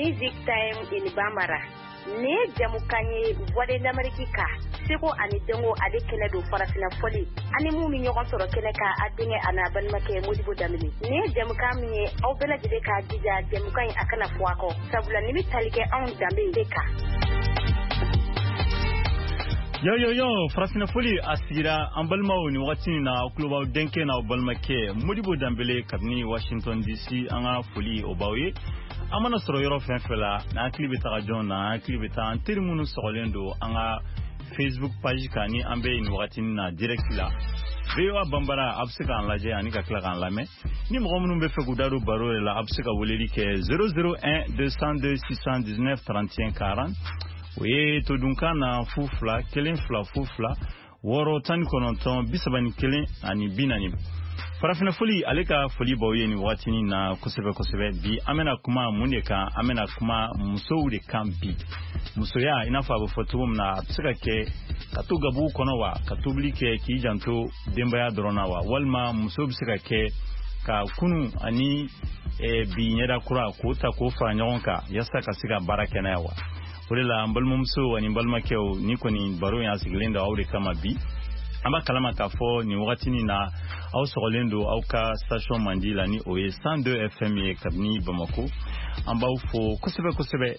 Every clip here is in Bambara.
Music Time in Bambara. Nin ye jamukan ye Voix de l'Amérique kan, seko ani dɔnko ale kɛnɛ don, farafinna fɔli ani mun bɛ ɲɔgɔn sɔrɔ kɛnɛ kan, a denkɛ a n'a balimakɛ Modibo Danbele. Nin ye jamukan min ye, aw bɛɛ lajɛlen k'a jija jamukan in a kana fɔ a kɔ, sabula nin bɛ tali kɛ anw danbe de kan. Yo yo yo, farafinna fɔli a sigira an balimaw ni wagati in na, aw tulo b'aw denkɛ n'aw balimakɛ Modibo Danbele kabini Washington DC. An ka foli o b'aw ye. An mana sɔrɔ yɔrɔ fɛn fɛn la, n'an hakili bɛ taga jɔn na, an hakili bɛ taa an teri minnu sɔgɔlen don an ka Facebook page kan ni an bɛ nin wagati na direct la. VOA Bambara, a bɛ se k'an lajɛ ani ka tila k'an lamɛn. Ni mɔgɔ minnu bɛ fɛ k'u da don baro yɛrɛ la, a bɛ se ka weleli kɛ 001 202 619 31 40. O ye todunkan na 0 2 1 2 0 2 6 19 31 ani 40. Farafinna foli ale ka foli b'aw ye nin wagatinin na kosɛbɛ kosɛbɛ. Bi an bɛna kuma mun de kan? An bɛna kuma musow de kan bi. Musoya, i n'a fɔ a bɛ fɔ cogo min na, a bɛ se ka kɛ ka to gabugu kɔnɔ wa, ka tobili kɛ k'i janto denbaya dɔrɔn na wa, walima muso bɛ se ka kɛ ka kunu ani bi ɲɛda kura k'o ta k'o fara ɲɔgɔn kan yaasa ka se ka baara kɛ n'a ye wa. O de la, an balimamusow ani balimakɛw, ni kɔni baro in a sigilen don aw de kama bi. An b'a kalama k'a fɔ nin wagatinin na, aw sɔgɔlen don aw ka station mandi la, ni o ye 102 FM ye kabini Bamako. An b'aw fo kosɛbɛ kosɛbɛ.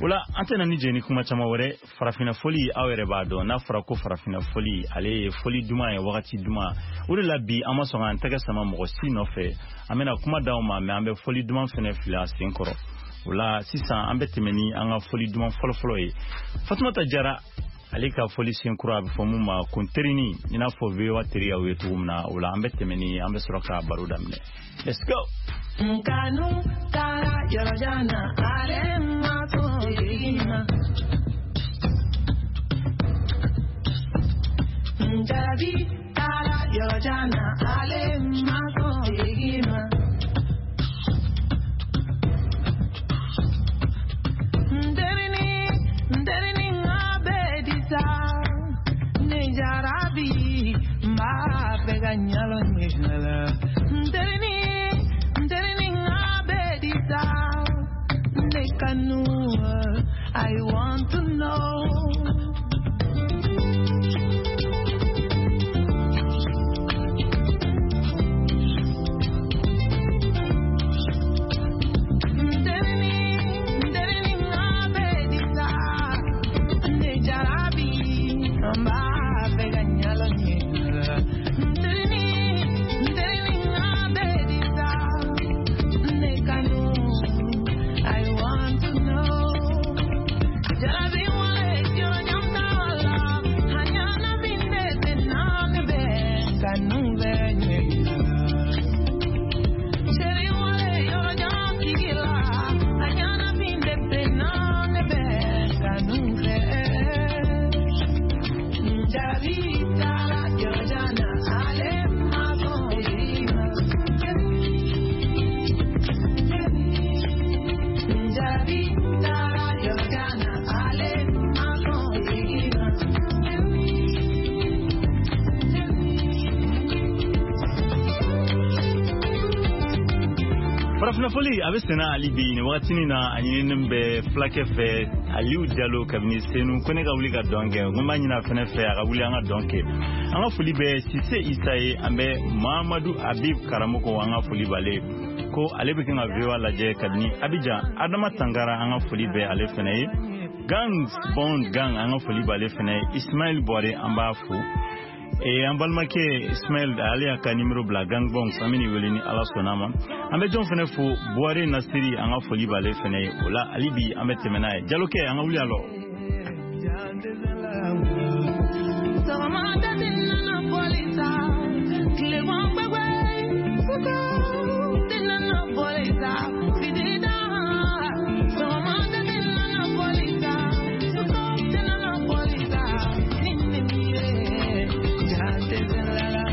O la, an tɛna ni jɛ ni kuma caman wɛrɛ. Farafinna fɔli, aw yɛrɛ b'a dɔn, n'a fɔra ko farafinna fɔli, ale ye fɔli duman ye, wagati duman. O de la bi, an ma sɔn k'an tɛgɛ sama mɔgɔ si nɔfɛ. An bɛna kuma d'aw ma, mɛ an bɛ fɔli duman fɛnɛ fili a sen kɔrɔ. O la sisan, an bɛ tɛmɛ ni an ka fɔli duman fɔlɔfɔlɔ ye. Fatumata Jara ale ka fɔli sen kura, a bɛ fɔ mun ma ko terini, i n'a fɔ VOA teriyaw ye cogo min na. O la, an bɛ tɛmɛ ni, an bɛ sɔrɔ ka baro daminɛ. Let's go. Nkanu taara yɔrɔ jan na, ale ma sɔn segin ma. Njarabi taara yɔrɔ jan na, ale ma sɔn segin ma. Nterini, nterini ŋa bɛ di sa, ne jarabi n b'a fɛ ka ɲalo ɲɛ. Nterini, nterini ŋa bɛ di sa, ne kanu, I want to know. Nterini, nterini ŋa bɛ di sa, ne jarabi n b'a fɛ ka ɲalo ɲɛ. Nterini, nterini ŋa bɛ di sa, ne kanu, I want to know. Jarabi wale yɔrɔ jan t'a la, a ɲana min de tɛ na ne bɛ kanu bɛ ɲɛ. Chéri wale yɔrɔ jan tigi la, a ɲana min de tɛ na ne bɛ kanu fɛ. Jarabi taara yɔrɔ jan na, ale ma sɔn segin ma. Jarabi taara yɔrɔ jan na, ale ma sɔn segin ma. Farafinna fɔli a bɛ senna hali bi nin wagatinin na. A ɲininen bɛ fulakɛ fɛ, Aliyu Jalo kabini Senu, ko ne ka wuli ka dɔn kɛ. Ko n b'a ɲini a fɛnɛ fɛ, a ka wuli an ka dɔn kɛ. An ka foli bɛ Sise Isa ye. An bɛ Mahamadu Habib Karamɔgɔ, an ka foli b'ale ye, ko ale bɛ kan ka VOA lajɛ kabini Abidjan. Adama Tangara, an ka foli bɛ ale fɛnɛ ye. Gangs Bond Gang, an ka foli b'ale fɛnɛ ye. Ismail Buware, an b'a fo. An balimakɛ Ismail, ale y'a ka nimero bila Gang Bongs, an bɛ nin wele ni Ala sɔnna ma. An bɛ jɔn fɛnɛ fo? Buware Nasiri, an ka foli b'ale fɛnɛ ye. O la hali bi, an bɛ tɛmɛ n'a ye. Jalokɛ, an ka wuli a lɔ. Sɔgɔmada tɛ nana fɔli sa, tilema gbɛgbɛ, suko tɛ nana fɔli sa, fitiri da. Sɔgɔmada tɛ nana fɔli sa, suko tɛ nana fɔli sa, ni ne mi ye, ja tɛ la la.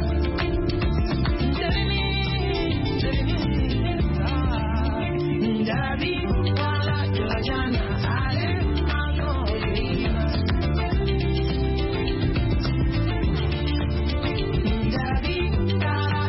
Nterini, nterini, jarabi taara yɔrɔ jan na, ale ma sɔn segin ma. Jarabi taara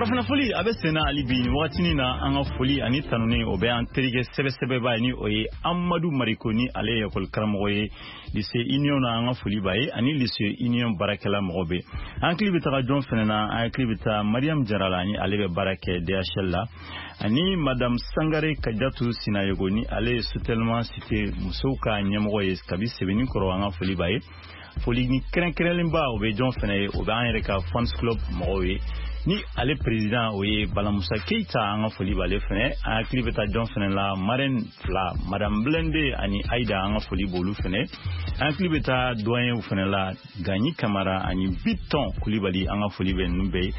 Farafinna foli a bɛ senna hali bi nin wagatinin na. An ka foli ani tanuni o bɛ an terikɛ sɛbɛsɛbɛba ye, ni o ye Amadu Mariko, ni ale ye ekɔli karamɔgɔ ye lycée Union na. An ka foli b'a ye ani lycée Union baarakɛla mɔgɔ bɛ. An hakili bɛ taga jɔn fɛnɛ na? An hakili bɛ taa Mariam Jara la, ni ale bɛ baara kɛ DHL la, ani Madame Sangare Kajatu Sinayogo, ni ale ye Sotelma cité musow ka ɲɛmɔgɔ ye kabi Sɛbɛnni kɔrɔ. An ka foli b'a ye. Foli ni kɛrɛnkɛrɛnlenba, o bɛ jɔn fɛnɛ ye? O bɛ an yɛrɛ ka fans club mɔgɔw ye, ni ale président o ye Balamusa Keita. An ka foli b'ale fɛnɛ. An hakili bɛ taa jɔn fɛnɛ la? Marraine fila, Madame Blende ani Aida, an ka foli b'olu fɛnɛ. An hakili bɛ taa doyenw fɛnɛ la, Ganyi Kamara ani Bitɔn Kulibali. An ka foli bɛ ninnu bɛɛ ye.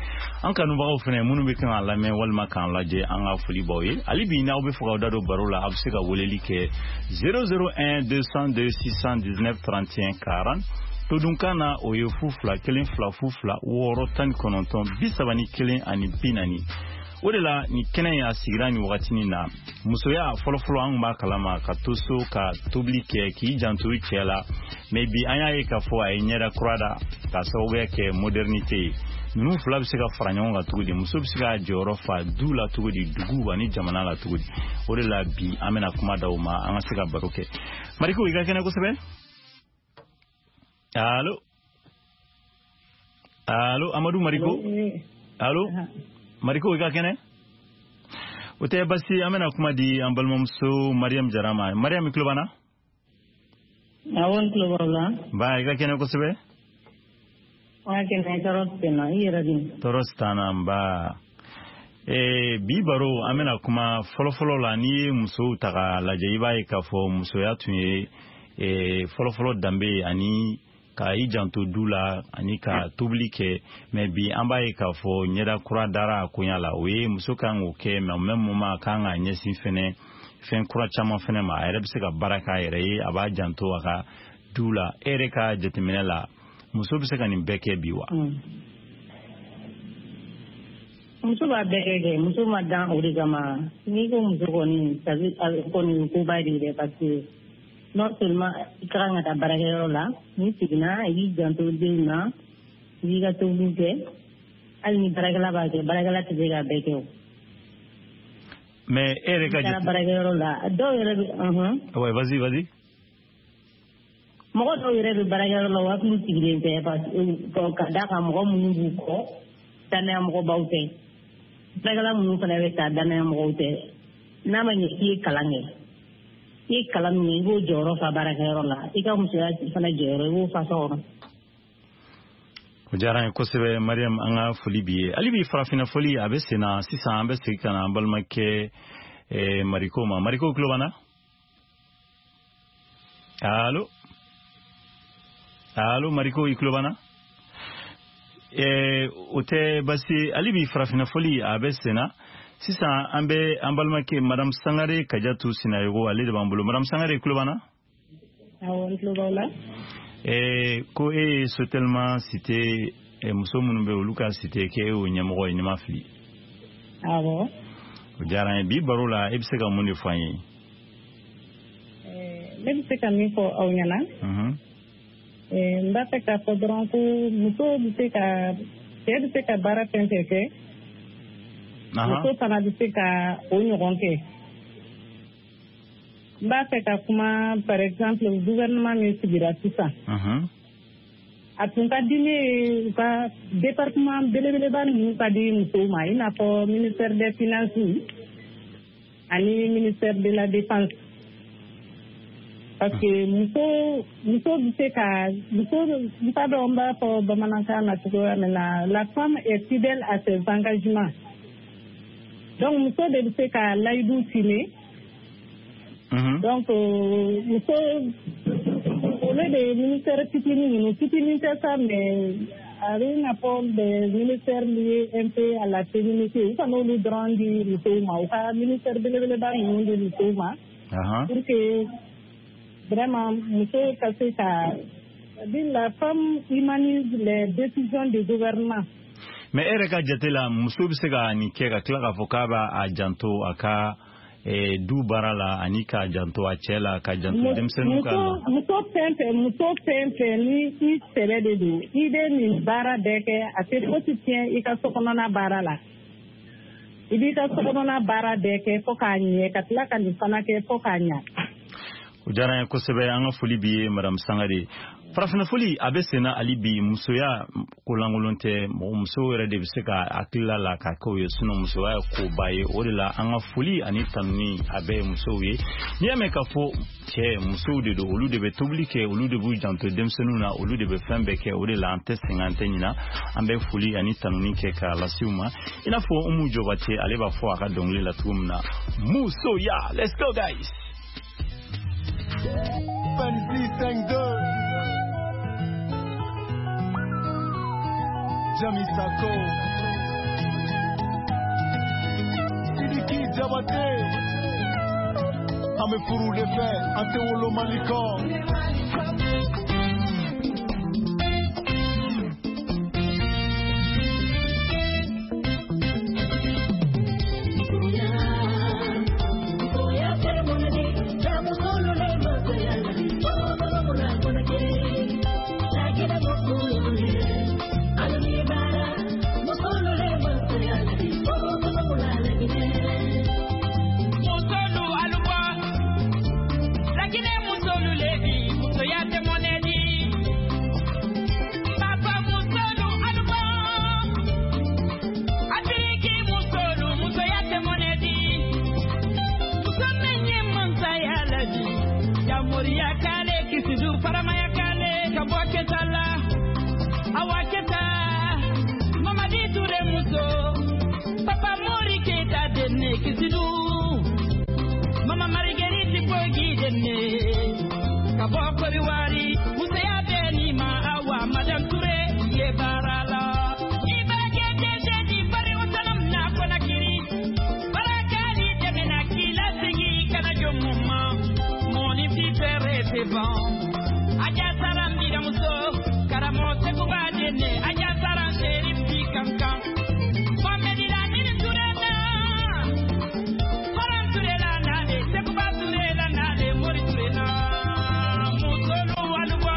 An kanubagaw fɛnɛ minnu bɛ kan k'an lamɛn walima k'an lajɛ, an ka foli b'aw ye. Hali bi, n'aw bɛ fɛ k'aw da don baro la, aw bɛ se ka weleli kɛ 001 202 619 31 40. Todunkan na, o ye 0 2 1 2 0 2 6 19 31 ani 40. O de la nin kɛnɛ in a sigira nin wagatinin na. Musoya fɔlɔfɔlɔ, an kun b'a kalama ka to so ka tobili kɛ, k'i janto i cɛ la. Mais bi, an y'a ye k'a fɔ a ye ɲɛda kura da k'a sababuya kɛ modernité ye. Ninnu fila bɛ se ka fara ɲɔgɔn kan cogo di? Muso bɛ se k'a jɔyɔrɔ fa du la cogo di, dugu ani jamana la cogo di? O de la bi an bɛna kuma d'aw ma, an ka se ka baro kɛ. Mariko, i ka kɛnɛ kosɛbɛ. Allo, allo, Amadu Mariko, allo Mariko, i ka kɛnɛ? O tɛ basi. An bɛna kuma di an balimamuso Mariam Jara ma. Mariam, i tulo b'an na? Awɔ, n tulo b'aw la. Ba, i ka kɛnɛ kosɛbɛ. An ka kɛnɛ, tɔɔrɔ tɛ n na. I yɛrɛ dun? Tɔɔrɔ si t'an na, nba. Bi baro, an bɛna kuma fɔlɔfɔlɔ la. N'i ye musow ta k'a lajɛ, i b'a ye k'a fɔ musoya tun ye fɔlɔfɔlɔ danbe ye, ani ka i janto du la ani ka tobili kɛ. Mais bi, an b'a ye k'a fɔ ɲɛda kura dara a koɲa la. O ye muso kan k'o kɛ, mais au même moment, a kan k'a ɲɛsin fɛnɛ fɛn kura caman fɛnɛ ma. A yɛrɛ bɛ se ka baara k'a yɛrɛ ye, a b'a janto a ka du la. E yɛrɛ ka jateminɛ la, muso bɛ se ka nin bɛɛ kɛ bi wa? Muso b'a bɛɛ kɛ. Muso ma dan o de kama. N'i ko muso kɔni, kɔni koba de ye dɛ, parce que non seulement i ka kan ka taa baarakɛyɔrɔ la, n'i seginna, i b'i janto denw na, i b'i ka tobiliw kɛ. Hali ni baarakɛla b'a kɛ, baarakɛla tɛ se k'a bɛɛ kɛ o. Mais e yɛrɛ ka N'i taara baarakɛyɔrɔ la, dɔw yɛrɛ bɛ Ouais, vas-y, vas-y. Mɔgɔ dɔw yɛrɛ bɛ baarakɛyɔrɔ la, u hakili sigilen tɛ, parce que ka d'a kan mɔgɔ minnu b'u kɔ, danaya mɔgɔbaw tɛ. Baarakɛla minnu fana bɛ ta, danaya mɔgɔw tɛ. N'a ma ɲɛ k'i ye kalan kɛ, i ye kalan min kɛ, i b'o jɔyɔrɔ fa baarakɛyɔrɔ la, i ka musoya fana jɔyɔrɔ, i b'o fa so kɔnɔ. O diyara an ye kosɛbɛ, Mariam. An ka foli b'i ye. Hali bi, farafinna foli a bɛ sen na. Sisan an bɛ segin ka na an balimakɛ Mariko ma. Mariko, tulo b'an na? Allo, allo, Mariko, i tulo b'an na? O tɛ basi ye. Hali bi, farafinna foli a bɛ sen na. Sisan an bɛ an balimakɛ Madame Sangare Kajatu Sinayogo, ale de b'an bolo. Madame Sangare, i tulo b'an na? Awɔ, n tulo b'aw la. Ko e ye Sotelma cité muso minnu bɛ, olu ka cité, k'e y'o ɲɛmɔgɔ ye, ni ma fili? Awɔ. O diyara an ye. Bi baro la, e bɛ se ka mun de fɔ an ye? Ne bɛ se ka min fɔ aw ɲɛna, n b'a fɛ k'a fɔ dɔrɔn ko muso bɛ se ka, cɛ bɛ se ka baara fɛn fɛn kɛ, muso fana bɛ se ka o ɲɔgɔn kɛ. N b'a fɛ ka kuma, par exemple, gouvernement min sigira sisan, a tun ka di ne ye u ka département belebeleba ninnu ka di musow ma, i n'a fɔ ministère des Finances ani ministère de la Défense, parce que muso bɛ se ka, muso, n t'a dɔn n b'a fɔ bamanankan na cogoya min na, la femme est fidèle à ses engagements. Donc muso de bɛ se ka layidu tiimɛ. Donc muso, au lieu de ministère fitinin ninnu, fitinin tɛ sa, mais a bɛ i n'a fɔ des ministères liés un peu à la féminité, u kan'olu dɔrɔn di musow ma, u ka ministère belebeleba ninnu di musow ma, pour que vraiment muso ka se ka, c'est-à-dire la femme humanise les décisions du gouvernement. Mais e yɛrɛ ka jate la, muso bɛ se ka nin kɛ ka tila k'a fɔ k'a b'a a janto a ka du baara la, ani k'a janto a cɛ la, ka janto denmisɛnninw ka la? Muso fɛn fɛn ni i sɛbɛ de don, i bɛ nin baara bɛɛ kɛ, a tɛ fosi tiɲɛ i ka sokɔnɔna baara la. I b'i ka sokɔnɔna baara bɛɛ kɛ fo k'a ɲɛ, ka tila ka nin fana kɛ fo k'a ɲɛ. O diyara an ye kosɛbɛ. An ka foli b'i ye, madame Sangare. Farafinna foli a bɛ senna hali bi. Musoya ko lankolon tɛ, mɔgɔ musow yɛrɛ de bɛ se ka hakilila la ka kɛ o ye, sinon musoya ye koba ye. O de la an ka foli ani tanuni a bɛɛ ye musow ye. N'i y'a mɛn k'a fɔ cɛ, musow de don, olu de bɛ tobili kɛ, olu de b'u janto denmisɛnninw na, olu de bɛ fɛn bɛɛ kɛ. O de la an tɛ sɛgɛn, an tɛ ɲina, an bɛ foli ani tanuni kɛ k'a lase u ma. I n'a fɔ Umu Jɔbate, ale b'a fɔ a ka dɔnkili la cogo min na, musoya. Let's go guys. 26 5 2 Jami Sako Sidiki Diabaté. An bɛ furu de fɛ, an tɛ wolo Mali kɔ. Musolu aluba, Laginɛ musolu lebi, musoya tɛ mɔnɛ di. Papa musolu aluba, Afiriki musolu, musoya tɛ mɔnɛ di. Muso min ye mansaya ladi, Jamoriya k'ale kisidu, faramaya k'ale ka bɔ kɛta la. Awa kɛta, Mamadi Ture muso, Papa Mori Keita denne kisidu. Mama Marguerite Bogi denne ka bɔ Kɔdiwari, musoya bɛɛ ni ma. Awa Madame Touré ye baara la. Ni baarakɛ dɛsɛ di bari o tanam na Conakry. Baarakɛli dɛmɛna k'i lasegin ka na jɔ mun ma? Mɔni fi fɛrɛ tɛ ban. Aja Sara n biramuso, karamɔgɔ Sekuba denne, Aja Sara Serif bi kankan. Mohamed Lamine Touré na. Faran Touré la nale, Sekuba Touré la nale, Mori Touré na. Musolu aluba.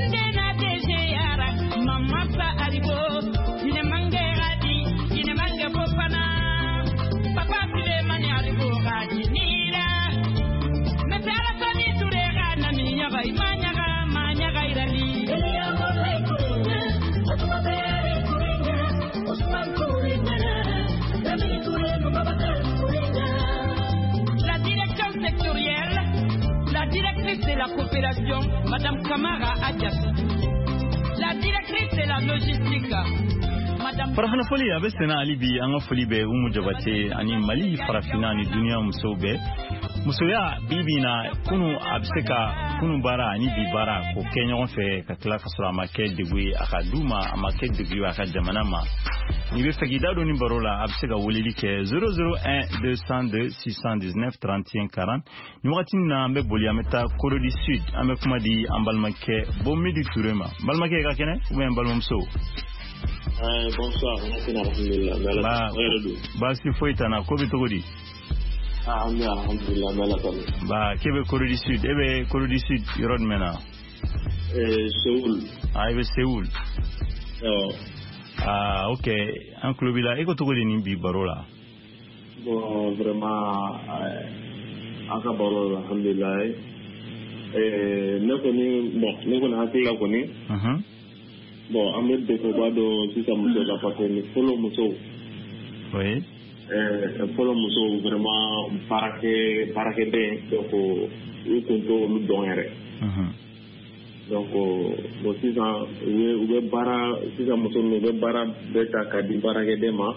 Ndena DG yara, Mama Sa Alibo, Ine Mange Adi, Ine Mange Fofana, Papa Sulemani Alibo Gadi Nira. Mese Alasani Touré ga nami nyaga, ima nyaga, ma nyaga irali. La direction sectorielle, la directrice de la coopération, Madame Kamara Adjassi. La directrice de la logistique, Madame Farafina foli a bɛ senna hali bi. An ka foli bɛ Umu Jabate ani Mali, farafinna ani duniya musow bɛɛ. Musoya bi bi na, kunu a bɛ se ka kunu baara ani bi baara k'o kɛ ɲɔgɔn fɛ, ka tila ka sɔrɔ a ma kɛ degun ye a ka du ma, a ma kɛ degun ye a ka jamana ma. N'i bɛ fɛ k'i da don ni baro la, a bɛ se ka weleli kɛ 001 202 619 31 40. Nin wagati in na, an bɛ boli, an bɛ taa Corée du Sud. An bɛ kuma di an balimakɛ Bomidi Ture ma. N balimakɛ, i ka kɛnɛ ou bien n balimamuso? Bonsoir, alhamdulillah. Ba Yɛrɛ don. Baasi foyi t'an na. Ko bɛ cogo di? Ah, an bɛ alhamdulillah, an bɛ Ala tanu. Ba, k'e bɛ Corée du Sud, e bɛ Corée du Sud yɔrɔ jumɛn na? Séoul. Ah, i bɛ Séoul. Awɔ. Ah, ok, an tulo b'i la. E ko cogo di nin bi baro la? Bon, vraiment, an ka baro la, alhamdulillah. Ne kɔni, bon, ne kɔni hakili la kɔni, bon, an bɛ degunba dɔ sisan muso la parce que ni fɔlɔ musow, fɔlɔ musow vraiment baarakɛ baarakɛden, donc u kun t'olu dɔn yɛrɛ. Donc bon, sisan u bɛ baara, sisan muso ninnu u bɛ baara bɛɛ ta k'a di baarakɛden ma.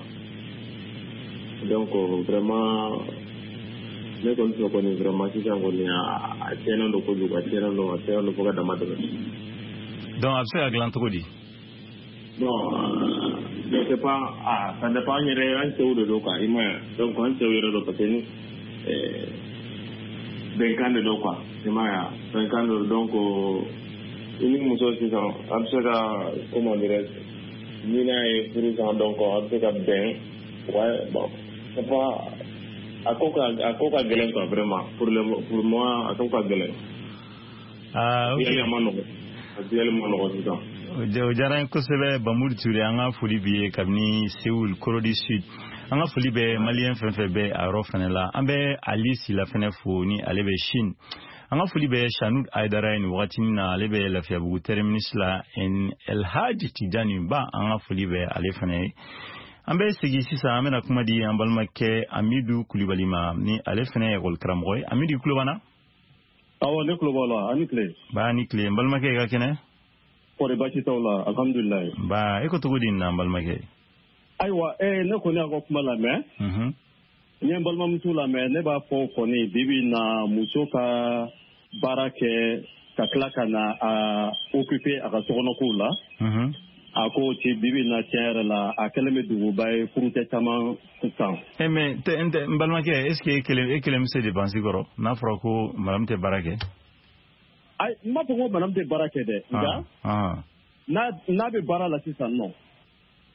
Donc vraiment, ne kɔni fɛ kɔni, vraiment sisan kɔni a tiɲɛnen don kojugu, a tiɲɛnen don, a tiɲɛnen don fo ka dama tɛmɛ. Donc a bɛ se ka dilan cogo di? Bon, je sais pas, ah, ça dépend an yɛrɛ, an cɛw de don quoi, i m'a ye. Donc an cɛw yɛrɛ don parce que ni bɛnkan de don quoi, i m'a ye, bɛnkan de don. Donc i ni muso sisan, a bɛ se ka, comment dirais-je, ni n'a ye furu san, donc a bɛ se ka bɛn. Ouais, bon, c'est pas, a ko ka gɛlɛn quoi, vraiment, pour moi, a ko ka gɛlɛn. Ah, ok. A ma nɔgɔn, a diyali ma nɔgɔn sisan. O diyara n ye kosɛbɛ, Bamuru Ture. An ka foli b'i ye kabini Séoul, Corée du Sud. An ka foli bɛ Malien fɛn fɛn bɛ a yɔrɔ fɛnɛ la. An bɛ Ali Sila fɛnɛ fo, ni ale bɛ Chine. An ka foli bɛ Sanud Aydara ye nin wagatinin na, ale bɛ Lafiyabugu terminus la. Elhaji Tijani Ba, an ka foli bɛ ale fɛnɛ ye. An bɛ segin sisan, an bɛna kuma di an balimakɛ Amidu Kulibali ma, ni ale fɛnɛ ye ekɔli karamɔgɔ ye. Amidu, tulo b'an na? Awɔ, ne tulo b'aw la. A ni tile. Ba ni tile, n balimakɛ, i ka kɛnɛ? Kɔri baasi t'aw la, alhamdulilayi. Ba, e ko cogo di nin na, n balimakɛ? Ayiwa, ne kɔni y'a ka kuma lamɛn. N ye n balimamuso lamɛn. Ne b'a fɔ kɔni, bi bi in na, muso ka baara kɛ ka tila ka na a occuper a ka sokɔnɔkow la, a ko ci bi bi in na, tiɲɛ yɛrɛ la, a kɛlen bɛ duguba ye furucɛ caman kan. Eh, mais n tɛ, n balimakɛ, est ce que e kelen bɛ se dépense kɔrɔ n'a fɔra ko madame tɛ baara kɛ? Ayi, n m'a fɔ ko madame tɛ baara kɛ dɛ, nka n'a bɛ baara la sisan nɔ,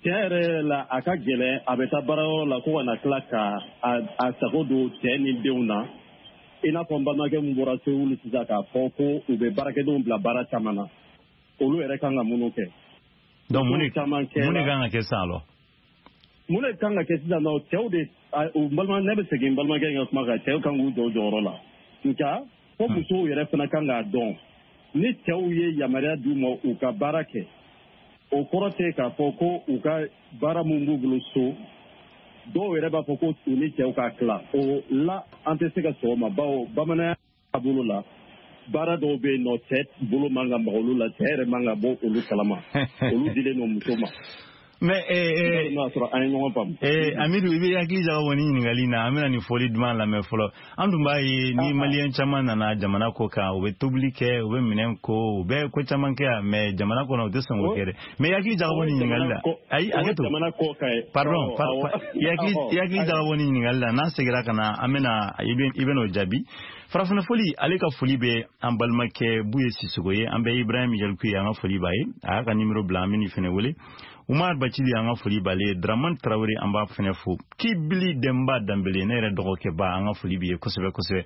tiɲɛ yɛrɛ yɛrɛ la, a ka gɛlɛn a bɛ taa baarayɔrɔ la ko ka na tila ka a sago don cɛ ni denw na, i n'a fɔ n balimakɛ min bɔra Sewulu sisan k'a fɔ ko u bɛ baarakɛdenw bila baara caman na, olu yɛrɛ kan ka minnu kɛ. Donc mun de caman kɛ mun de kan ka kɛ sisan alors? Mun de kan ka kɛ sisan nɔ? Cɛw de, u balima, ne bɛ segin n balimakɛ in ka kuma kan, cɛw kan k'u jɔ u jɔyɔrɔ la, nka fo musow yɛrɛ fana kan k'a dɔn, ni cɛw ye yamaruya d'u ma u ka baara kɛ, o kɔrɔ tɛ k'a fɔ ko u ka baara mun b'u bolo so, dɔw yɛrɛ b'a fɔ ko u ni cɛw ka tila o la. An tɛ se ka sɔn o ma, bawo bamananya taabolo la, baara dɔw bɛ yen nɔ, cɛ bolo man ka maga olu la, cɛ yɛrɛ man ka bɔ olu kalama, olu dilen don muso ma. Mais n'a sɔrɔ an ye ɲɔgɔn faamu. Amidu, i bɛ hakili jagabɔ ni ɲininkali in na. An bɛna nin fɔli duman lamɛn fɔlɔ. An dun b'a ye ni Malien caman nana jamana kɔ kan, u bɛ tobili kɛ, u bɛ minɛn ko, u bɛ ko caman kɛ yan, mais jamana kɔnɔ, u tɛ sɔn k'o kɛ dɛ. Mais i hakili jagabɔ ni ɲininkali la, ayi, hakɛ to. Jamana kɔ kan ye. Pardon, i hakili jagabɔ ni ɲininkali la. N'an seginna ka na, an bɛna i bɛ n'o jaabi. Farafinna foli, ale ka foli bɛ an balimakɛ Buye Sisogo ye. An bɛ Ibrahim Yaliku ye, an ka foli b'a ye, a y'a ka numéro bila, an bɛ nin fɛnɛ wele. Umar Bacili, an ka foli b'ale ye. Draman Tarawele, an b'a fɛnɛ fo. Kibili Denba Danbele, ne yɛrɛ dɔgɔkɛ ba, an ka foli b'i ye kosɛbɛ kosɛbɛ.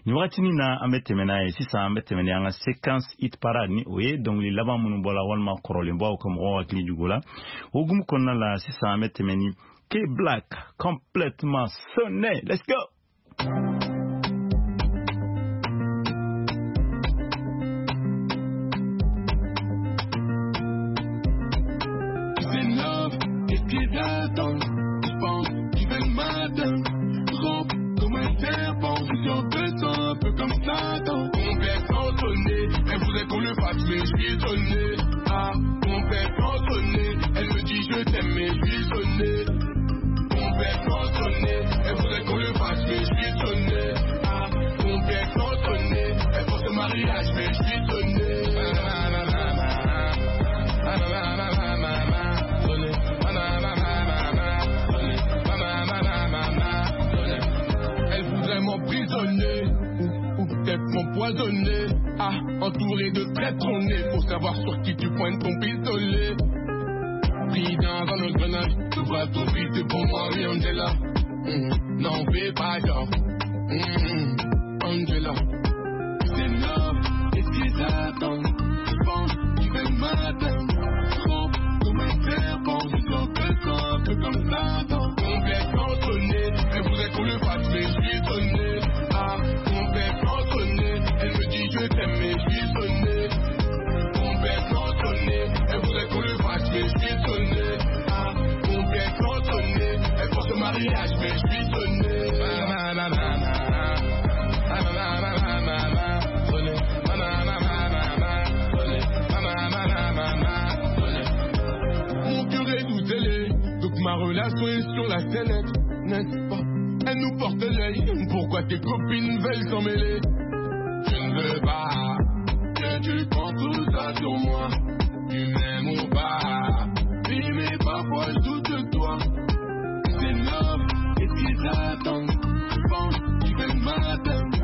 Nin wagatinin na, an bɛ tɛmɛ n'a ye sisan, an bɛ tɛmɛ ni an ka séquence hit parade, ni o ye dɔnkili laban minnu bɔra walima kɔrɔlenbaw ka mɔgɔw hakili jugu la. O hukumu kɔnɔna la sisan, an bɛ tɛmɛ ni K Black, complètement sonné. Let's go. C'est love, qu'est-ce qu'ils attendent? Ils pensent qu'ils veulent m'atteindre. Rampe comme un serpent, je suis sûr de toi, un peu comme Satan. Complètement sonné, elle voudrait qu'on le fasse, mais je suis sonné. Ah, complètement sonné, elle me dit je t'aime, mais je suis sonné. Complètement sonné, elle voudrait qu'on le fasse, mais je suis sonné. Ah, complètement sonné, elle pense au mariage, mais je suis sonné. Ah, ma, ma, ma, ma, ma, ma, ma, ma, ma, sonné. Ma, ma, ma, ma, ma, ma, sonné. Ma, ma, ma, ma, ma, ma, sonné. Elle voudrait m'emprisonner ou peut-être m'empoisonner. Ah, entouré de traîtres, on est pour savoir sur qui tu pointes ton pistolet. Pris dans un engrenage, tu vas trop vite pour moi, oui, Angela. N'en fais pas genre. Angela. C'est love, qu'est-ce qu'ils attendent? Ils pensent qu'ils veulent m'atteindre. Rampe comme un serpent, je suis sûr de toi, un peu comme Satan. Complètement sonné, elle voudrait qu'on le fasse, mais je suis sonné. Ah, complètement sonné, elle me dit je t'aime, mais je suis sonné. Complètement sonné, elle voudrait qu'on le fasse, mais je suis sonné. Ah, complètement sonné, elle pense au mariage, mais je suis sonné. Ma, ma, ma, ma, ma. Ma, ma, ma, ma, ma, ma, sonné. Ma, ma, ma, ma, ma, ma, sonné. Ma, ma, ma, ma, ma, ma, sonné. Mon cœur est tout zélé, donc ma relation est sur la sellette, n'est-ce pas? Elle nous porte l'œil, pourquoi tes copines veulent s'en mêler? Je ne veux pas que tu prends tout ça sur moi. Tu m'aimes ou pas? Oui, mais parfois je doute de toi. C'est love, qu'est-ce qu'ils attendent? Ils pensent qu'ils veulent m'atteindre.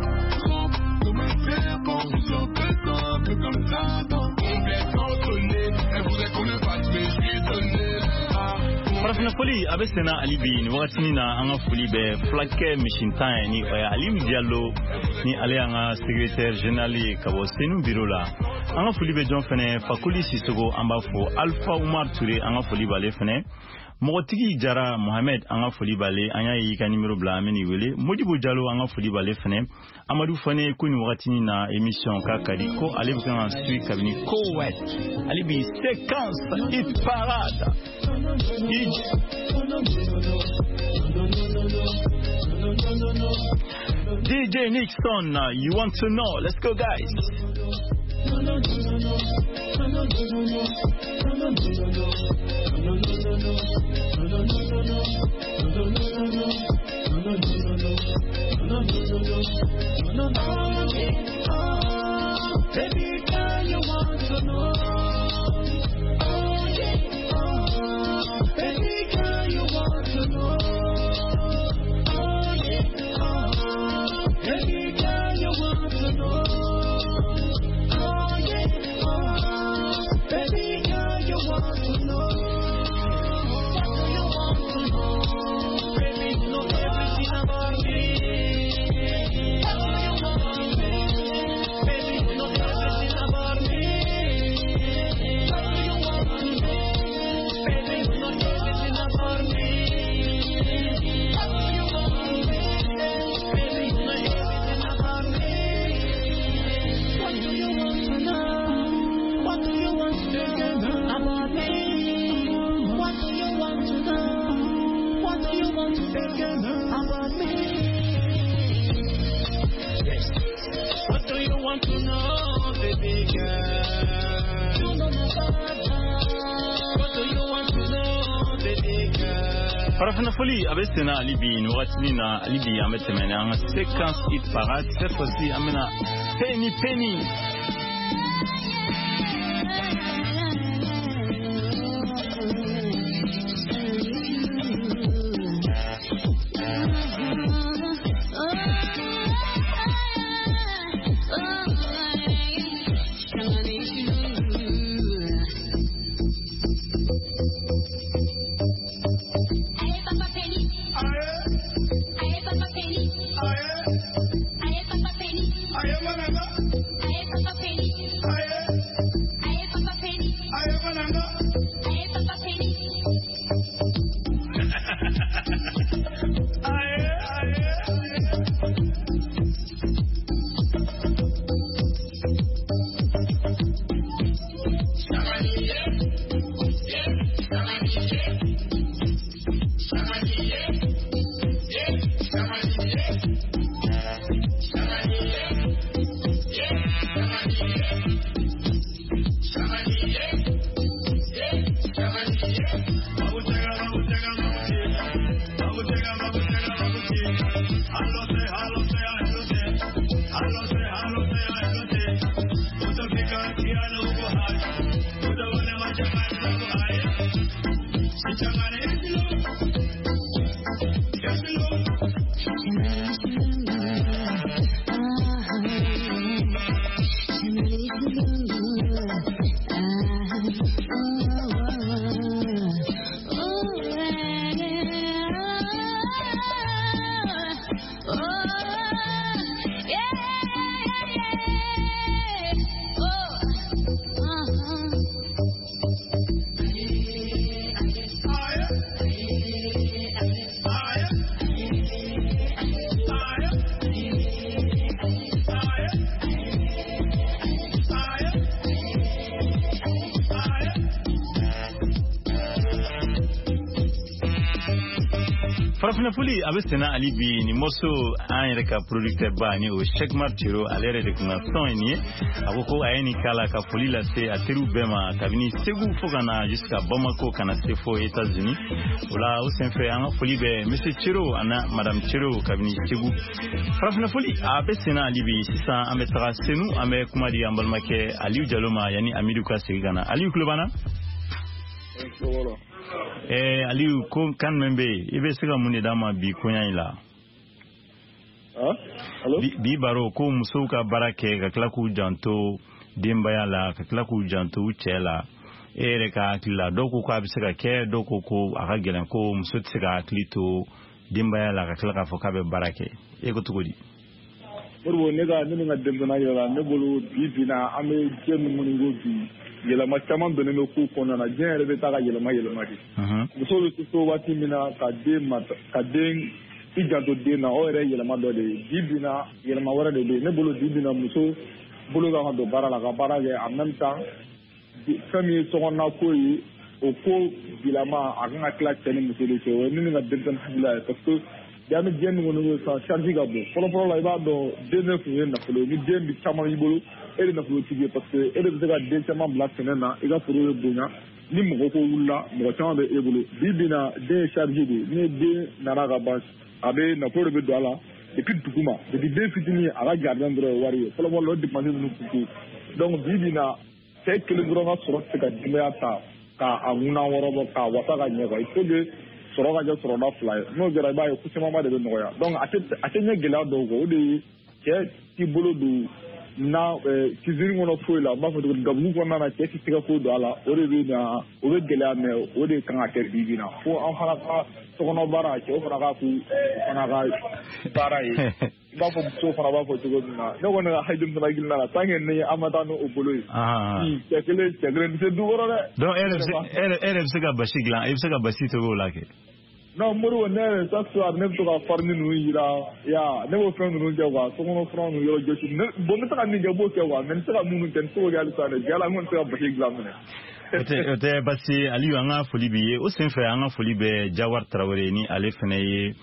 Rampe comme un serpent, je suis sûr de toi, un peu comme Satan. Complètement sonné, elle voudrait qu'on le fasse, mais je suis sonné. Ah, Farafinna Foli a bɛ senna hali bi nin wagatinin na. An ka foli bɛ fulakɛ misintan ye, ni o ye Aliyu Jalo, ni ale y'an ka secrétaire général ye ka bɔ Senu bureau la. An ka foli bɛ jɔn fɛnɛ? Fakoli Sisogo, an b'a fo. Alpha Umar Ture, an ka foli b'ale fɛnɛ. Mɔgɔtigi Jara Mohamed, an ka foli b'ale. An y'a ye i ka numéro bila, an bɛ n'i wele. Modibo Jalo, an ka foli b'ale fɛnɛ. Amadu Fane ko nin wagatinin na émission k'a ka di, ko ale bɛ kan ka suit kabini Koweït. Ale bi séquence hit parade. DJ Nixon, you want to know? Let's go, guys. Baby girl, you want to know. Oh yeah, oh. Baby girl, you want to know. Oh yeah, oh. Baby girl, you want to know. Oh yeah, oh. Baby girl, you want to know. What do you want to know? Baby, you know everything about me. What do you want to know? Baby, you know everything about me. What do you want to know? Baby, you know everything about me. What do you want to know? Baby, you know everything about me. What do you want to know? What do you want to know about me? What do you want to know? What do you want to know about me? Yes. What do you want to know, baby girl? You know my father. What do you want to know, baby girl? Farafina foli a bɛ senna hali bi nin wagatinin na. Hali bi an bɛ tɛmɛ ni an ka séquence hit parade. Cette fois-ci an bɛna Penny Penny. Farafina foli a bɛ senna hali bi. Nin morceau, an yɛrɛ ka producteur ba, ni o Cheikh Mar Cero, ale yɛrɛ de kun ka son ye nin ye. A ko ko a ye nin k'a la ka foli lase a teriw bɛɛ ma kabini Segu fo ka na jusqu'à Bamako, ka na se fo États-Unis. O la, o senfɛ, an ka foli bɛ monsieur Cero ani madame Cero kabini Segu. Farafina foli a bɛ senna hali bi. Sisan an bɛ taga Senu, an bɛ kuma di an balimakɛ Aliyu Jalo ma yanni Amidu ka segin ka na. Aliyu tulo b'an na? Aliyu, ko kan min bɛ yen, i bɛ se ka mun de d'an ma bi koɲa in la? Bi baro ko musow ka baara kɛ ka tila k'u janto denbaya la, ka tila k'u janto u cɛ la. E yɛrɛ ka hakili la, dɔw ko k'a bɛ se ka kɛ, dɔw ko ko a ka gɛlɛn, ko muso tɛ se ka hakili to denbaya la ka tila k'a fɔ k'a bɛ baara kɛ. E ko cogo di? Modibo, ne ka ne ni n ka denmisɛnninya yɛrɛ la, ne bolo bi bi na, an bɛ diɲɛ min kɔni ko bi, yɛlɛma caman donnen bɛ kow kɔnɔna na. Diɲɛ yɛrɛ bɛ taa ka yɛlɛma yɛlɛma de. Muso bɛ to so waati min na ka den ma, ka den i janto den na, o yɛrɛ ye yɛlɛma dɔ de ye. Bi bi na, yɛlɛma wɛrɛ de bɛ yen. Ne bolo, bi bi na, muso bolo kan ka don baara la ka baara kɛ en même temps. Fɛn min ye sokɔnɔna ko ye, o ko bilama a kan ka tila cɛ ni muso de cɛ. O ye ne ni n ka denmisɛnnin hakilila ye, parce que bi an bɛ diɲɛ min kɔnɔ ko sisan, charge ka bon. Fɔlɔ fɔlɔ la, i b'a dɔn, den de tun ye nafolo ye. Ni den bi caman b'i bolo, e de nafolotigi ye, parce que e de bɛ se ka den caman bila sɛnɛ na, i ka foro bɛ bonya. Ni mɔgɔ ko wulila, mɔgɔ caman bɛ e bolo. Bi bi na, den ye charge de ye. Ni den nana ka ban, a bɛ nafolo de bɛ don a la depuis duguma, depuis den fitinin, a ka jardin dɔrɔn ye wari ye. Fɔlɔ fɔlɔ la, o dépense ninnu tun tɛ yen. Donc bi bi na, cɛ kelen dɔrɔn ka sɔrɔ tɛ se ka denbaya ta k'a ŋuna wɔrɔ bɔ k'a wasa ka ɲɛ quoi. Il faut que sɔrɔ ka kɛ sɔrɔda fila ye. N'o kɛra, i b'a ye ko camanba de bɛ nɔgɔya. Donc a tɛ ɲɛ gɛlɛya dɔw kɔ, o de ye cɛ t'i bolo don na cuisine kɔnɔ foyi la. N b'a fɔ cogo di, gabugu kɔnɔna na, cɛ tɛ se ka foyi don a la. O de bɛ na, o bɛ gɛlɛya, mais o de kan ka kɛ bi bi na, fo an fana ka sokɔnɔ baara, cɛw fana ka k'u fana ka baara ye, i b'a fɔ musow fana b'a fɔ cogo min na. Ne kɔni ka denmisɛnnin hakilina la, tant que ni an ma taa n'o bolo ye, cɛ kelen, cɛ kelen tɛ se du kɔrɔ dɛ. Donc e yɛrɛ bɛ se ka basi dilan, e bɛ se ka basi tobi o la kɛ? Non Modibo, ne yɛrɛ, chaque soir ne bɛ to ka farine ninnu yira ya, ne b'o fɛn ninnu kɛ quoi, sokɔnɔ fura ninnu yɔrɔ jɔsi. Bon, n bɛ se ka min kɛ, n b'o kɛ quoi, mais n tɛ se ka minnu kɛ, n tɛ se k'o kɛ halisa dɛ. Jala, n kɔni tɛ se ka basi dilan minɛ. O tɛ basi. Aliyu, an ka foli b'i ye. O senfɛ, an ka foli bɛ Jawar Tarawele ni ale fana ye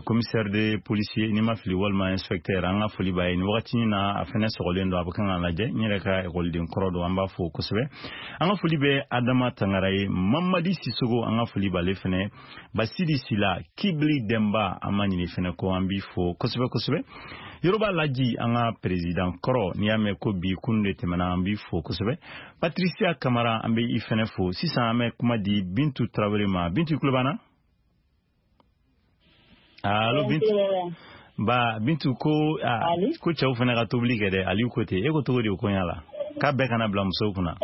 commissaire de policier, n'i ma fili, walima inspecteur. An ka foli b'a ye nin wagati in na. A fana sɔgɔlen don, a bɛ kan k'a lajɛ. N yɛrɛ ka ekɔliden kɔrɔ don, an b'a fo kosɛbɛ. An ka foli bɛ Adama Tangara ye, Mamadi Sisogo, an ka foli b'ale fana, Basidi Sila, Kibili Denba, an ma ɲini fana ko, an b'i fo kosɛbɛ kosɛbɛ. Yoroba Laji, an ka président kɔrɔ, n'i y'a mɛn ko bi kunun de tɛmɛna, an b'i fo kosɛbɛ. Patricia Kamara, an bɛ i fana fo. Sisan an bɛ kuma di Bintu Tarawele ma. Bintu, tulo b'an na? Allo Bintu. Ba Bintu, ko ko cɛw fana ka tobili kɛ dɛ. Aliyu ko ten, e ko cogo di o koɲa la, k'a bɛɛ kana bila musow kunna?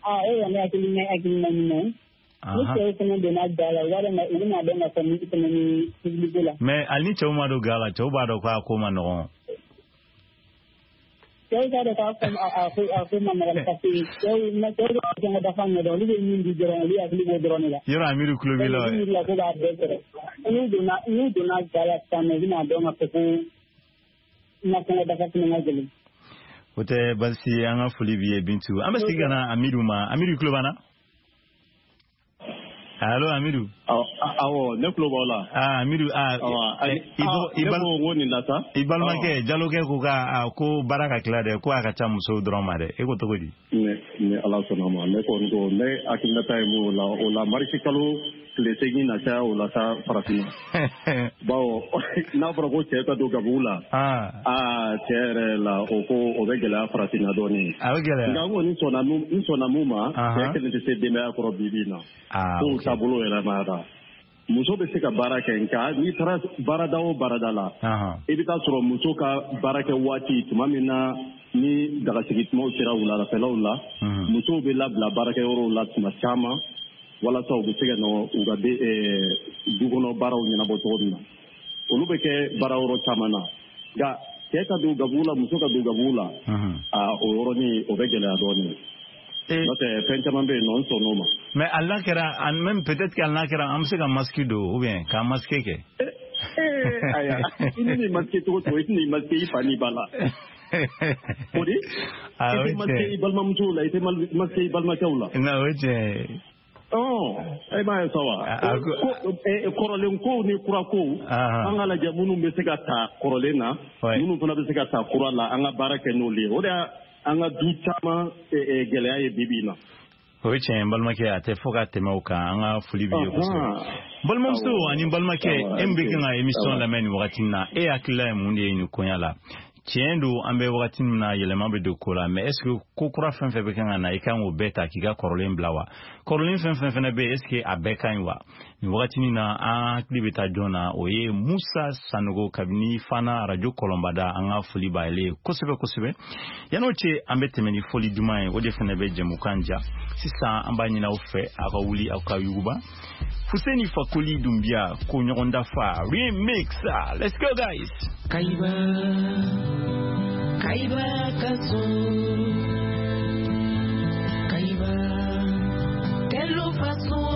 Ah, e yɛrɛ hakilina hakilina ɲuman. Ni cɛw fana donna ga la, u b'a dɔn, u bɛna dɔn ka fɔ min fana ni tobiliko la. Mais hali ni cɛw ma don ga la, cɛw b'a dɔn k'a ko ma nɔgɔn. Cɛw t'a dɔn k'a fɔ a ko ma nɔgɔn, parce que cɛw bɛ fɛn ka dafa ɲɛ dɔn, olu bɛ min di dɔrɔn, olu hakili b'o dɔrɔn de la. Yɔrɔ Amiru tulo b'i la. N'u la ko b'a bɛɛ sɔrɔ, n'u donna ga la sisan nɔ, u bɛna dɔn ka fɔ ko nasɔngɔ dafa fana ka gɛlɛn. O tɛ basi ye. An ka foli b'i ye Bintu. An bɛ segin ka na Amidu ma. Amidu, tulo b'an na? Allo Amidu. Awɔ, ne tulo b'aw la. Ah Amidu, ah. I ne ko n ko nin la sa. I balimakɛ Jalokɛ ko ka ko baara ka tila dɛ, ko a ka ca musow dɔrɔn ma dɛ. E ko cogo di? Ni Ala sɔnna ma, ne kɔni ko ne hakilinata ye mun o la, o la marisi kalo tile 8 na caya o la sa farafinna. Bawo n'a fɔra ko cɛ ka don gabugu la, aa, cɛ yɛrɛ la, o ko o bɛ gɛlɛya farafinna dɔɔnin. A bɛ gɛlɛya. Nka n kɔni sɔnna mun, n sɔnna mun ma, cɛ kelen tɛ se denbaya kɔrɔ bi bi in na. Kow taabolo yɛlɛmara. Muso bɛ se ka baara kɛ, nka n'i taara baarada o baarada la, i bɛ taa sɔrɔ muso ka baara kɛ waati tuma min na, ni dagasigi tumaw sera wuladafɛlaw la, musow bɛ labila baarakɛyɔrɔw la tuma caman, walasa u bɛ se ka nɔ u ka du kɔnɔ baaraw ɲɛnabɔ cogo min na. Olu bɛ kɛ baara yɔrɔ caman na. Nka cɛ ka don gabugu la, muso ka don gabugu la, aa, o yɔrɔnin o bɛ gɛlɛya dɔɔnin. N'o tɛ, fɛn caman bɛ yen nɔ, n sɔnn'o ma. Mais hali n'a kɛra, même peut-être que hali n'a kɛra, an bɛ se ka masque don ou bien k'an masque kɛ. Ayiwa, i ni nin masque cogo cogo, i tɛna i masque i fa n'i ba la. O di, i tɛ masque i balimamusow la, i tɛ masque i balimakɛw la. Non, o ye tiɲɛ ye. Ɔ, e m'a ye sa wa, kɔrɔlen kow ni kura kow, an ka lajɛ minnu bɛ se ka ta kɔrɔlen na, minnu fana bɛ se ka ta kura la, an ka baara kɛ n'olu ye. O de an ka du caman gɛlɛya ye bi bi in na. O ye tiɲɛ ye, n balimakɛ. A tɛ fɔ ka tɛmɛ o kan. An ka foli b'i ye kosɛbɛ. Balimamuso ani balimakɛ, e min bɛ kan ka émission lamɛn nin wagati in na, e hakilila ye mun de ye nin koɲa la? Tiɲɛ don, an bɛ wagati min na, yɛlɛma bɛ don ko la, mais est ce que ko kura fɛn fɛn bɛ kan ka na, i kan k'o bɛɛ ta k'i ka kɔrɔlen bila wa? Kɔrɔlen fɛn fɛn fɛnɛ bɛ yen, est ce que a bɛɛ ka ɲi wa? Nin wagatinin na, an hakili bɛ taa jɔn na? O ye Musa Sanogo kabini Fana Radio Kɔlɔnbada. An ka foli b'ale ye kosɛbɛ kosɛbɛ. Yan'o cɛ, an bɛ tɛmɛ ni foli duman ye, o de fana bɛ jɛmukan ja. Sisan an b'a ɲini aw fɛ, aw ka wuli, aw ka yuguba. Fuseni Fakoli Dumbiya ko ɲɔgɔn dafa remix. Let's go guys. Kaiba Kaiba kaso Kaiba Telo faso.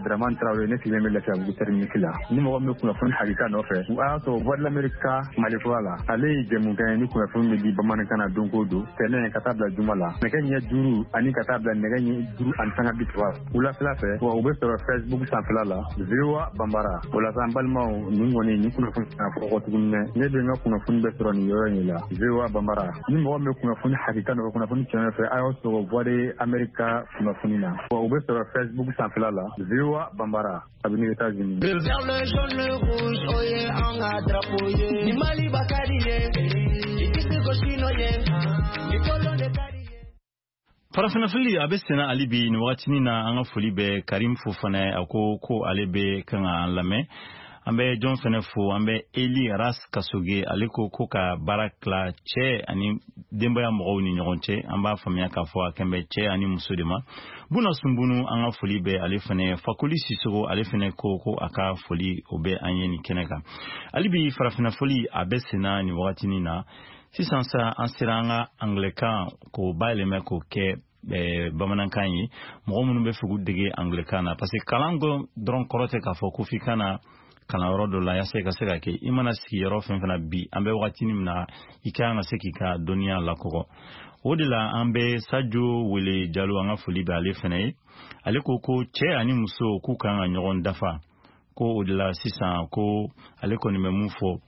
Dramane Traoré, ne sigilen bɛ Lafiyabugu terminus la. Ni mɔgɔ min bɛ kunnafoni hakika nɔfɛ, a y'a sɔrɔ Voix de l'Amérique ka Mali kura la. Ale ye jɛmukan ye ni kunnafoni bɛ di bamanankan na don o don, tɛnɛn ka taa bila juma la, nɛgɛ ɲɛ 5 ani ka taa bila nɛgɛ ɲɛ 5:30 wulafɛla fɛ. Wa u bɛ sɔrɔ Facebook sanfɛla la, VOA Bambara. O la sa, an balimaw, nin kɔni nin kunnafoni kana fɔ kɔ tuguni dɛ. Ne bɛ n ka kunnafoni bɛɛ sɔrɔ nin yɔrɔ in la, VOA Bambara. Ni mɔgɔ min bɛ kunnafoni hakika nɔfɛ, kunnafoni tiɲɛ nɔfɛ, a y'aw sɔrɔ Voix de l'Amérique ka kunnafoni na. Wa u bɛ sɔrɔ Facebook sanfɛla la, VOA Bambara, kabini États-Unis. Le vert, le jaune, le rouge, oh yeah, an ka drapeau ye. Ni Mali ba ka di ye, i tɛ se ko sino ye, ni kolon de ka di ye. Farafinna fili a bɛ senna hali bi nin wagatinin na. An ka foli bɛ Karim Fofana ye. A ko ko ale bɛ kan ka an lamɛn. An bɛ jɔn fɛnɛ fo, an bɛ Eli Ras Kasoge, ale ko ko ka baara tila cɛ ani denbaya mɔgɔw ni ɲɔgɔn cɛ. An b'a faamuya k'a fɔ a kɛn bɛ cɛ ani muso de ma. Buna Sunbunu, an ka foli bɛ ale fɛnɛ. Fakoli Sisogo, ale fɛnɛ ko ko a ka foli o bɛ an ye nin kɛnɛ kan. Hali bi farafinna foli a bɛ senna nin wagatinin na. Sisan sa an sera an ka anglɛkan k'o bayɛlɛmɛ k'o kɛ bamanankan ye, mɔgɔ minnu bɛ fɛ k'u dege anglɛkan na, parce que kalan dɔrɔn kɔrɔ tɛ k'a fɔ ko f'i ka na kalanyɔrɔ dɔ la yaasa i ka se ka kɛ. I mana sigi yɔrɔ fɛn fɛn na bi, an bɛ wagatinin min na, i ka kan ka se k'i ka dɔnniya lakɔgɔ. O de la an bɛ Sajo wele Jalo, an ka foli bɛ ale fɛnɛ ye. Ale ko ko cɛ ani muso k'u kan ka ɲɔgɔn dafa, ko o de la sisan ko ale kɔni bɛ mun fɔ,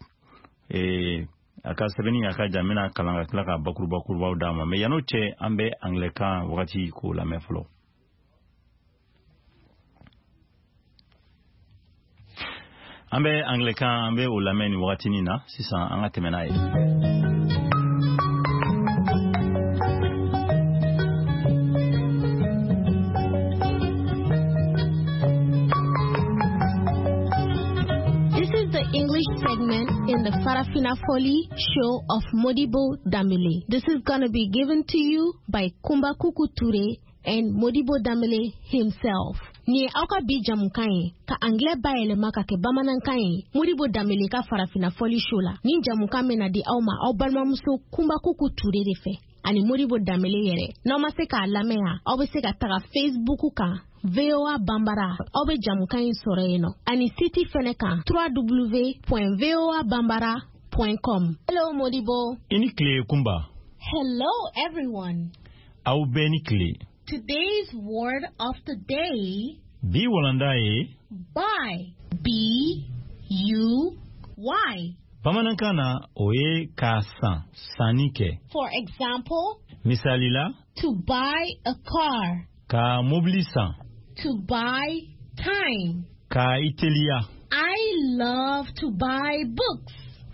a ka sɛbɛnni a ka jan, n bɛna kalan ka tila ka bakuruba kurubaw d'a ma. Mais yann'o cɛ, an bɛ anglɛkan wagati k'o lamɛn fɔlɔ. An bɛ anglɛkan, an bɛ o lamɛn nin wagatinin na sisan, an ka tɛmɛ n'a ye. This is the English segment in the Farafina Foli show of Modibo Dambele. This is going to be given to you by Kumba Kuku Toure and Modibo Dambele himself. Ni ye aw ka bi jamukan ye ka anglais bayɛlɛma ka kɛ bamanankan ye Modibo Dambele ka Farafina Foli show la. Ni jamukan bɛna di aw ma aw balimamuso Kumba Kuku Toure de fɛ ani Modibo Dambele yɛrɛ. N'aw ma se k'a lamɛn yan, aw bɛ se ka taga Facebook kan VOA Bambara, aw bɛ jamukan in sɔrɔ yen nɔ, ani site fɛnɛ kan www.voabambara.com. Hello Modibo. I ni tile Kumba. Hello everyone. Aw bɛɛ ni tile. Today's word of the day. Bi walanda ye buy. B U Y. Bamanankan na o ye k'a san, sanni kɛ. For example, misali la, to buy a car. Ka mobili san. To buy time. Ka i teliya. I love to buy books.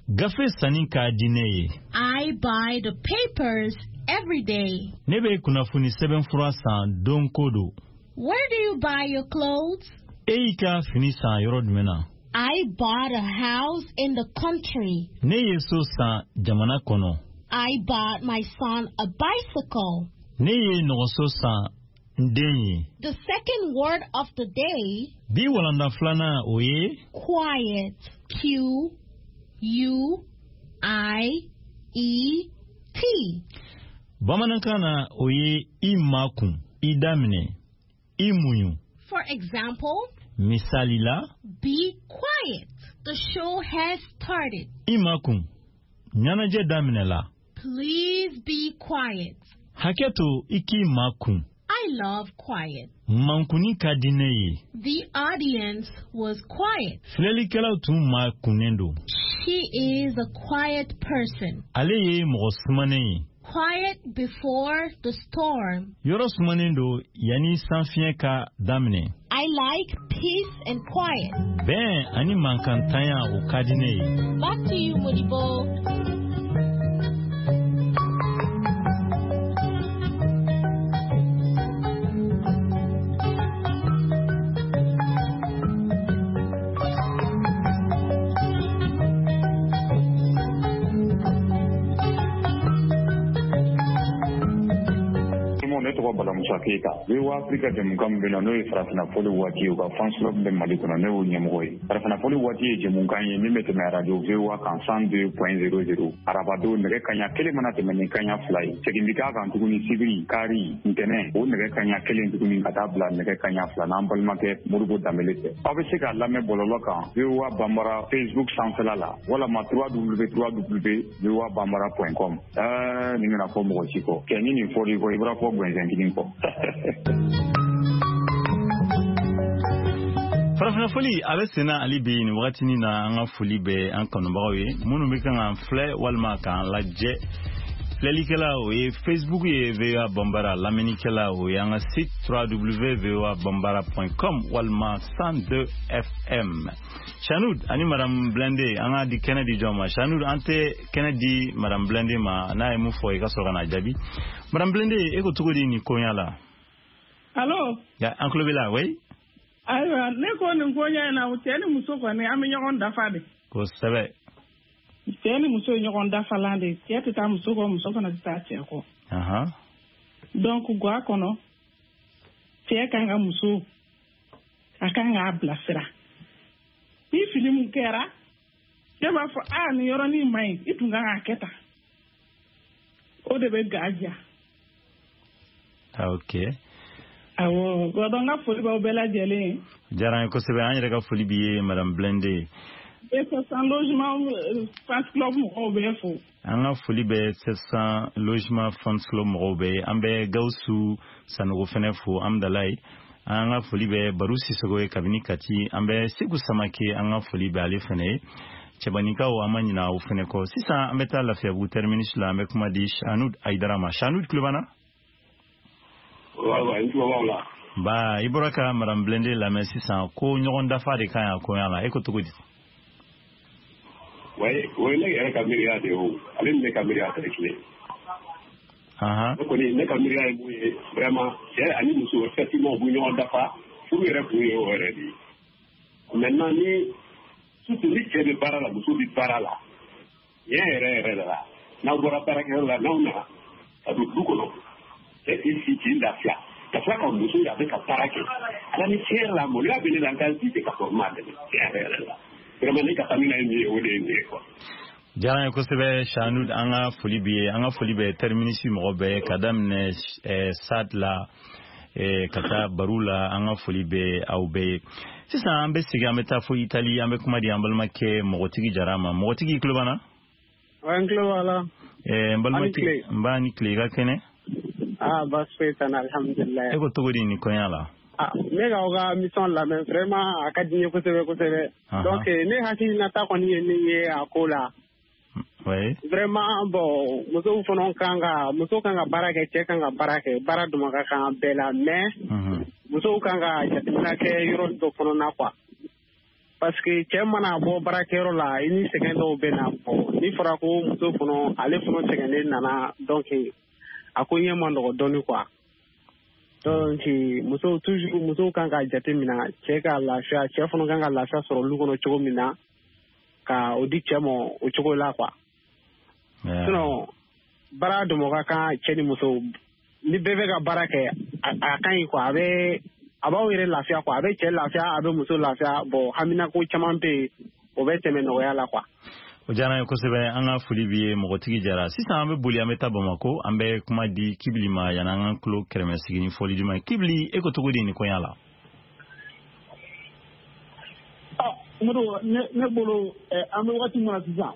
Gafe sanni ka di ne ye. I buy the papers every day. Ne bɛ kunnafoni sɛbɛnfura san don ko don. Where do you buy your clothes? E y'i ka fini san yɔrɔ jumɛn na? I bought a house in the country. Ne ye so san jamana kɔnɔ. I bought my son a bicycle. Ne ye nɔgɔso san n den ye. The second word of the day. Bi walanda filanan o ye quiet. Q U I E T. Bamanankan na o ye i makun, i daminɛ, i muɲu. For example, misali la, be quiet. The show has started. I makun, ɲɛnajɛ daminɛla. Please be quiet. Hakɛ to i k'i makun. I love quiet. Mankunni ka di ne ye. The audience was quiet. Filɛlikɛlaw tun makunnen don. She is a quiet person. Ale ye mɔgɔ sumanen ye. Quiet before the storm. Yɔrɔ sumanen don yanni sanfiɲɛ ka daminɛ. I like peace and quiet. Bɛn ani mankantanya o ka di ne ye. Back to you, Modibo. Balamusa Keyita, VOA Afrika jɛmukan min bɛ na n'o ye farafinna fɔli waati ye, u ka fans club bɛ Mali kɔnɔ, ne y'o ɲɛmɔgɔ ye. Farafinna fɔli waati ye jɛmukan ye min bɛ tɛmɛ radio VOA kan 102.00 arabadon nɛgɛ kanɲɛ 1 mana tɛmɛ ni kanɲɛ 2 ye. Segin bɛ k'a kan tuguni sibiri, kari, ntɛnɛn, o nɛgɛ kanɲɛ 1 tuguni ka taa bila nɛgɛ kanɲɛ 2 n'an balimakɛ Modibo Danbele fɛ. Aw bɛ se k'a lamɛn bɔlɔlɔ kan VOA Bambara Facebook sanfɛla la walama www.voabambara.com. Nin kana fɔ mɔgɔ si kɔ. Kɛ ni nin fɔr'i kɔ, i bɔra fɔ gɛnsɛn kelen kɔ. Farafinna foli a bɛ senna hali bi nin wagatinin na. An ka foli bɛ an kanubagaw ye minnu bɛ kan k'an filɛ walima k'an lajɛ. Filɛlikɛla o ye Facebook ye VOA Bambara, lamɛnnikɛla o ye an ka site www.voabambara.com walima 102 FM. Chanud ani Madame Blende, an ka di kɛnɛ di jɔn ma? Chanud, an tɛ kɛnɛ di Madame Blende ma, n'a ye mun fɔ i ka sɔrɔ ka n'a jaabi. Madame Blende, e ko cogo di nin koɲa la? Allo? Ya, an tulo b'i la, oui? Ayiwa, ne ko nin ko ɲɛ in na, cɛ ni muso kɔni, an bɛ ɲɔgɔn dafa de. Kosɛbɛ. Cɛ ni muso ye ɲɔgɔn dafalan de. Cɛ tɛ taa muso kɔ, muso fana tɛ taa cɛ kɔ. Donc ga kɔnɔ, cɛ kan ka muso, a kan k'a bilasira. Ni fili mun kɛra, cɛ b'a fɔ aa nin yɔrɔnin man ɲi, i tun kan k'a kɛ tan. O de bɛ ga diya. Ok. Awɔ, donc n ka foli b'aw bɛɛ lajɛlen ye. Diyara an ye kosɛbɛ, an yɛrɛ ka foli b'i ye, madame Blende. 700 Logements Fans Club mɔgɔw bɛɛ fo. An ka foli bɛ 700 Logements Fans Club mɔgɔw bɛɛ ye. An bɛ Gawusu Sanogo fɛnɛ fo Amdalaye. An ka foli bɛ Baru Sisogo ye kabini Kati. An bɛ Segu Samake, an ka foli bɛ ale fɛnɛ ye. Cɛbanikaw, an ma ɲina aw fɛnɛ kɔ. Sisan an bɛ taa Lafiyabugu terminus la, an bɛ kuma di Shanud Ayidara ma. Shanud, tulo b'an na? Wa n tulo b'aw la. Ba, i bɔra ka madame Blende lamɛn sisan ko ɲɔgɔn dafa de ka ɲi a koɲa la, e ko cogo di? Oui, o ye ne yɛrɛ ka miiriya de ye o. Ale ni ne ka miiriya tɛ kelen. Ne kɔni, ne ka miiriya ye mun ye, vraiment, cɛ ani muso, effectivement, u bɛ ɲɔgɔn dafa, furu yɛrɛ kun ye o yɛrɛ de ye. Maintenant, ni surtout ni cɛ bɛ baara la, muso bɛ baara la, tiɲɛ yɛrɛ yɛrɛ de la, n'aw bɔra baarakɛyɔrɔ la, n'aw nana ka don du kɔnɔ, cɛ k'i sigi k'i lafiya, ka tila ka muso ye a bɛ ka baara kɛ, ala ni tiɲɛ yɛrɛ la, maloya bɛ ne la, n ka ji tɛ ka sɔrɔ n m'a dɛmɛ, tiɲɛ yɛrɛ yɛrɛ la. Vraiment, ne ka hamina ye min ye, o de ye nin ye quoi. Diyara n ye kosɛbɛ Shanud, an ka foli b'i ye, an ka foli bɛ terminus mɔgɔ bɛɛ ka daminɛ SAD la, ka taa Baru la, an ka foli bɛ aw bɛɛ ye. Sisan an bɛ segin, an bɛ taa fo Itali, an bɛ kuma di an balimakɛ Mɔgɔtigi Jara ma. Mɔgɔtigi, i tulo b'an na? N tulo b'a la. N balimakɛ, n b'a ni tile, i ka kɛnɛ? Ah, baasi foyi t'an na, alhamdulilayi. E ko cogo di nin kɔɲɔ la? Ah, ne k'aw ka mission lamɛn, vraiment a ka di n ye kosɛbɛ kosɛbɛ. Donc ne hakilinata kɔni ye min ye a ko la. Oui. Vraiment, bon, musow fana kan ka, muso kan ka baara kɛ, cɛ kan ka baara kɛ, baara dama ka kan bɛɛ la, mais musow kan ka jateminɛ kɛ yɔrɔ dɔ fana na quoi. Parce que cɛ mana bɔ baarakɛyɔrɔ la, i ni sɛgɛn dɔw bɛ na. Bon, ni fɔra ko muso fana, ale fana sɛgɛnnen nana, donc a ko ɲɛ man nɔgɔ dɔɔni quoi. Donc musow toujours, musow kan ka jate minɛ cɛ ka lafiya, cɛ fana kan ka lafiya sɔrɔ olu kɔnɔ cogo min na, ka o di cɛ ma o cogo la quoi. Sinon baara dama ka kan cɛ ni muso, ni bɛɛ bɛ ka baara kɛ, a ka ɲi quoi, a bɛ a b'aw yɛrɛ lafiya quoi, a bɛ cɛ lafiya, a bɛ muso lafiya. Bon, haminako caman bɛ yen, o bɛ tɛmɛ nɔgɔya la quoi. O diyara n ye kosɛbɛ, an ka foli b'i ye Mɔgɔtigi Jara. Sisan an bɛ boli, an bɛ taa Bamako, an bɛ kuma di Kibili ma yanni an ka tulo kɛrɛmɛ sigi ni fɔli duman ye. Kibili, e ko cogo di nin kɔɲɔ la? Modibo, ne bolo, an bɛ waati min na sisan,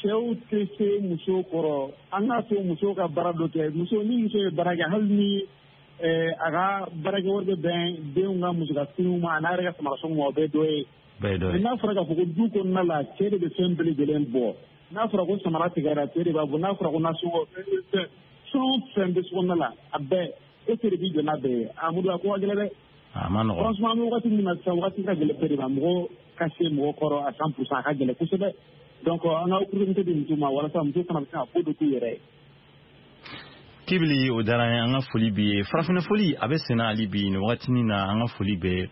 cɛw tɛ se muso kɔrɔ. An k'a to muso ka baara dɔ kɛ. Muso, ni muso ye baara kɛ, hali ni a ka baarakɛ wari bɛ bɛn denw ka muso finiw ma, a n'a yɛrɛ ka samarasɔngɔ ma, o bɛɛ dɔ ye. N'a fɔra k'a fɔ ko du kɔnɔna la, cɛ de bɛ fɛn bɛɛ lajɛlen bɔ. N'a fɔra ko samara tigɛra, cɛ de b'a bɔ. N'a fɔra ko nasɔngɔ, fɛn o fɛn bɛ so kɔnɔna la, a bɛɛ, e cɛ de b'i jɔ n'a bɛɛ ye. A Modibo, a ko ka gɛlɛn dɛ. A ma nɔgɔn. Franchement, an bɛ wagati min na sisan, wagati ka gɛlɛn bɛɛ de ma. Mɔgɔ ka se mɔgɔ kɔrɔ à 100%, a ka gɛlɛn kosɛbɛ. Donc an ka opportunité di muso ma walasa muso fana bɛ se ka ko dɔ k'u yɛrɛ ye. Kibili, o diyara n ye, an ka foli b'i ye. Farafinna foli a bɛ senna hali bi nin wagatinin na, an ka foli bɛ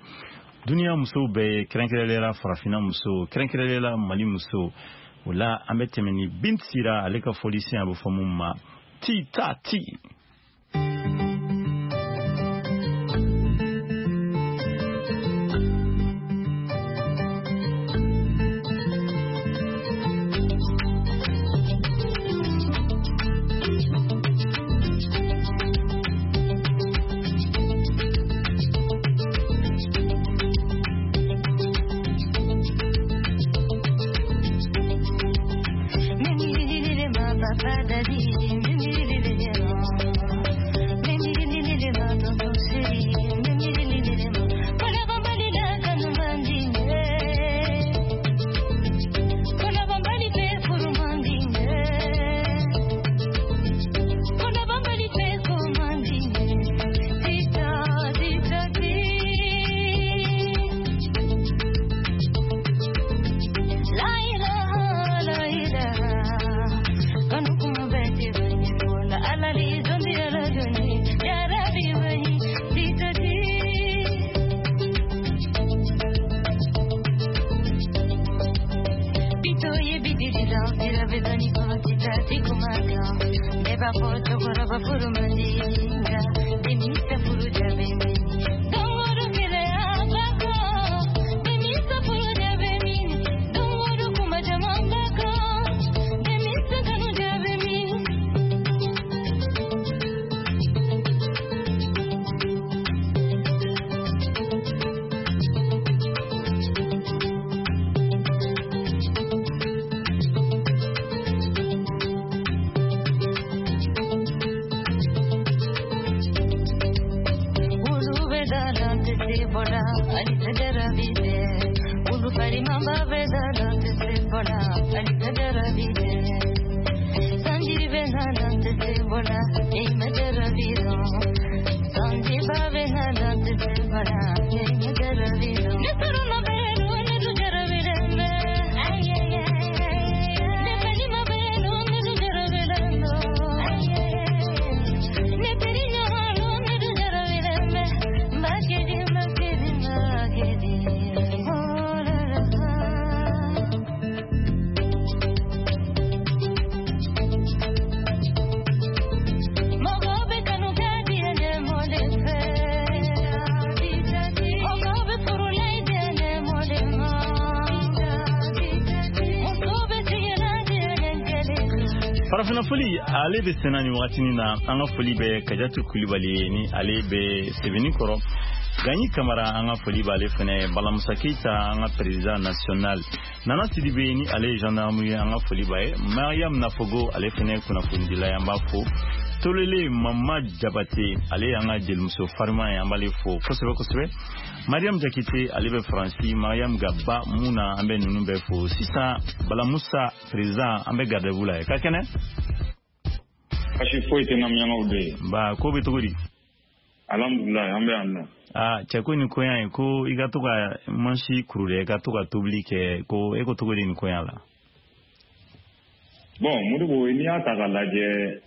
duniya musow bɛɛ ye, kɛrɛnkɛrɛnnenya la farafinna muso, kɛrɛnkɛrɛnnenya la Mali muso. O la an bɛ tɛmɛ ni Bint Sira ale ka fɔlisen, a bɛ fɔ mun ma ti ta ti. Papa, daddy, Farafina foli ale bɛ senna nin wagatinin na. An ka foli bɛ Kajatu Kulibali ye ni ale bɛ Sebeni kɔrɔ. Gagny Kamara, an ka foli b'ale fɛnɛ. Balamusa Keita, an ka président national. Nana Sidibe ni ale ye gendarme ye, an ka foli b'a ye. Mariam Nafogo, ale fɛnɛ kunnafonidila ye, an b'a fo. Tolele Mama Jabate, ale y'an ka jelimuso farima ye, an b'ale fo kosɛbɛ kosɛbɛ. Mariam Jakite, ale bɛ Faransi. Mariam Gaba Muna, an bɛ ninnu bɛɛ fo. Sisan Balamusa président, an bɛ garde-à-vous la ye. Ka kɛnɛ? Basi foyi tɛ na, de ye. Ba ko bɛ cogo di? Alhamdulilayi, an bɛ yan nɔ. Aa cɛ, ko nin koɲa in, ko i ka to ka mansi kuru dɛ, i ka to ka tobili kɛ, ko e ko cogo di nin koɲa la? Bon Modibo, n'i y'a ta k'a lajɛ,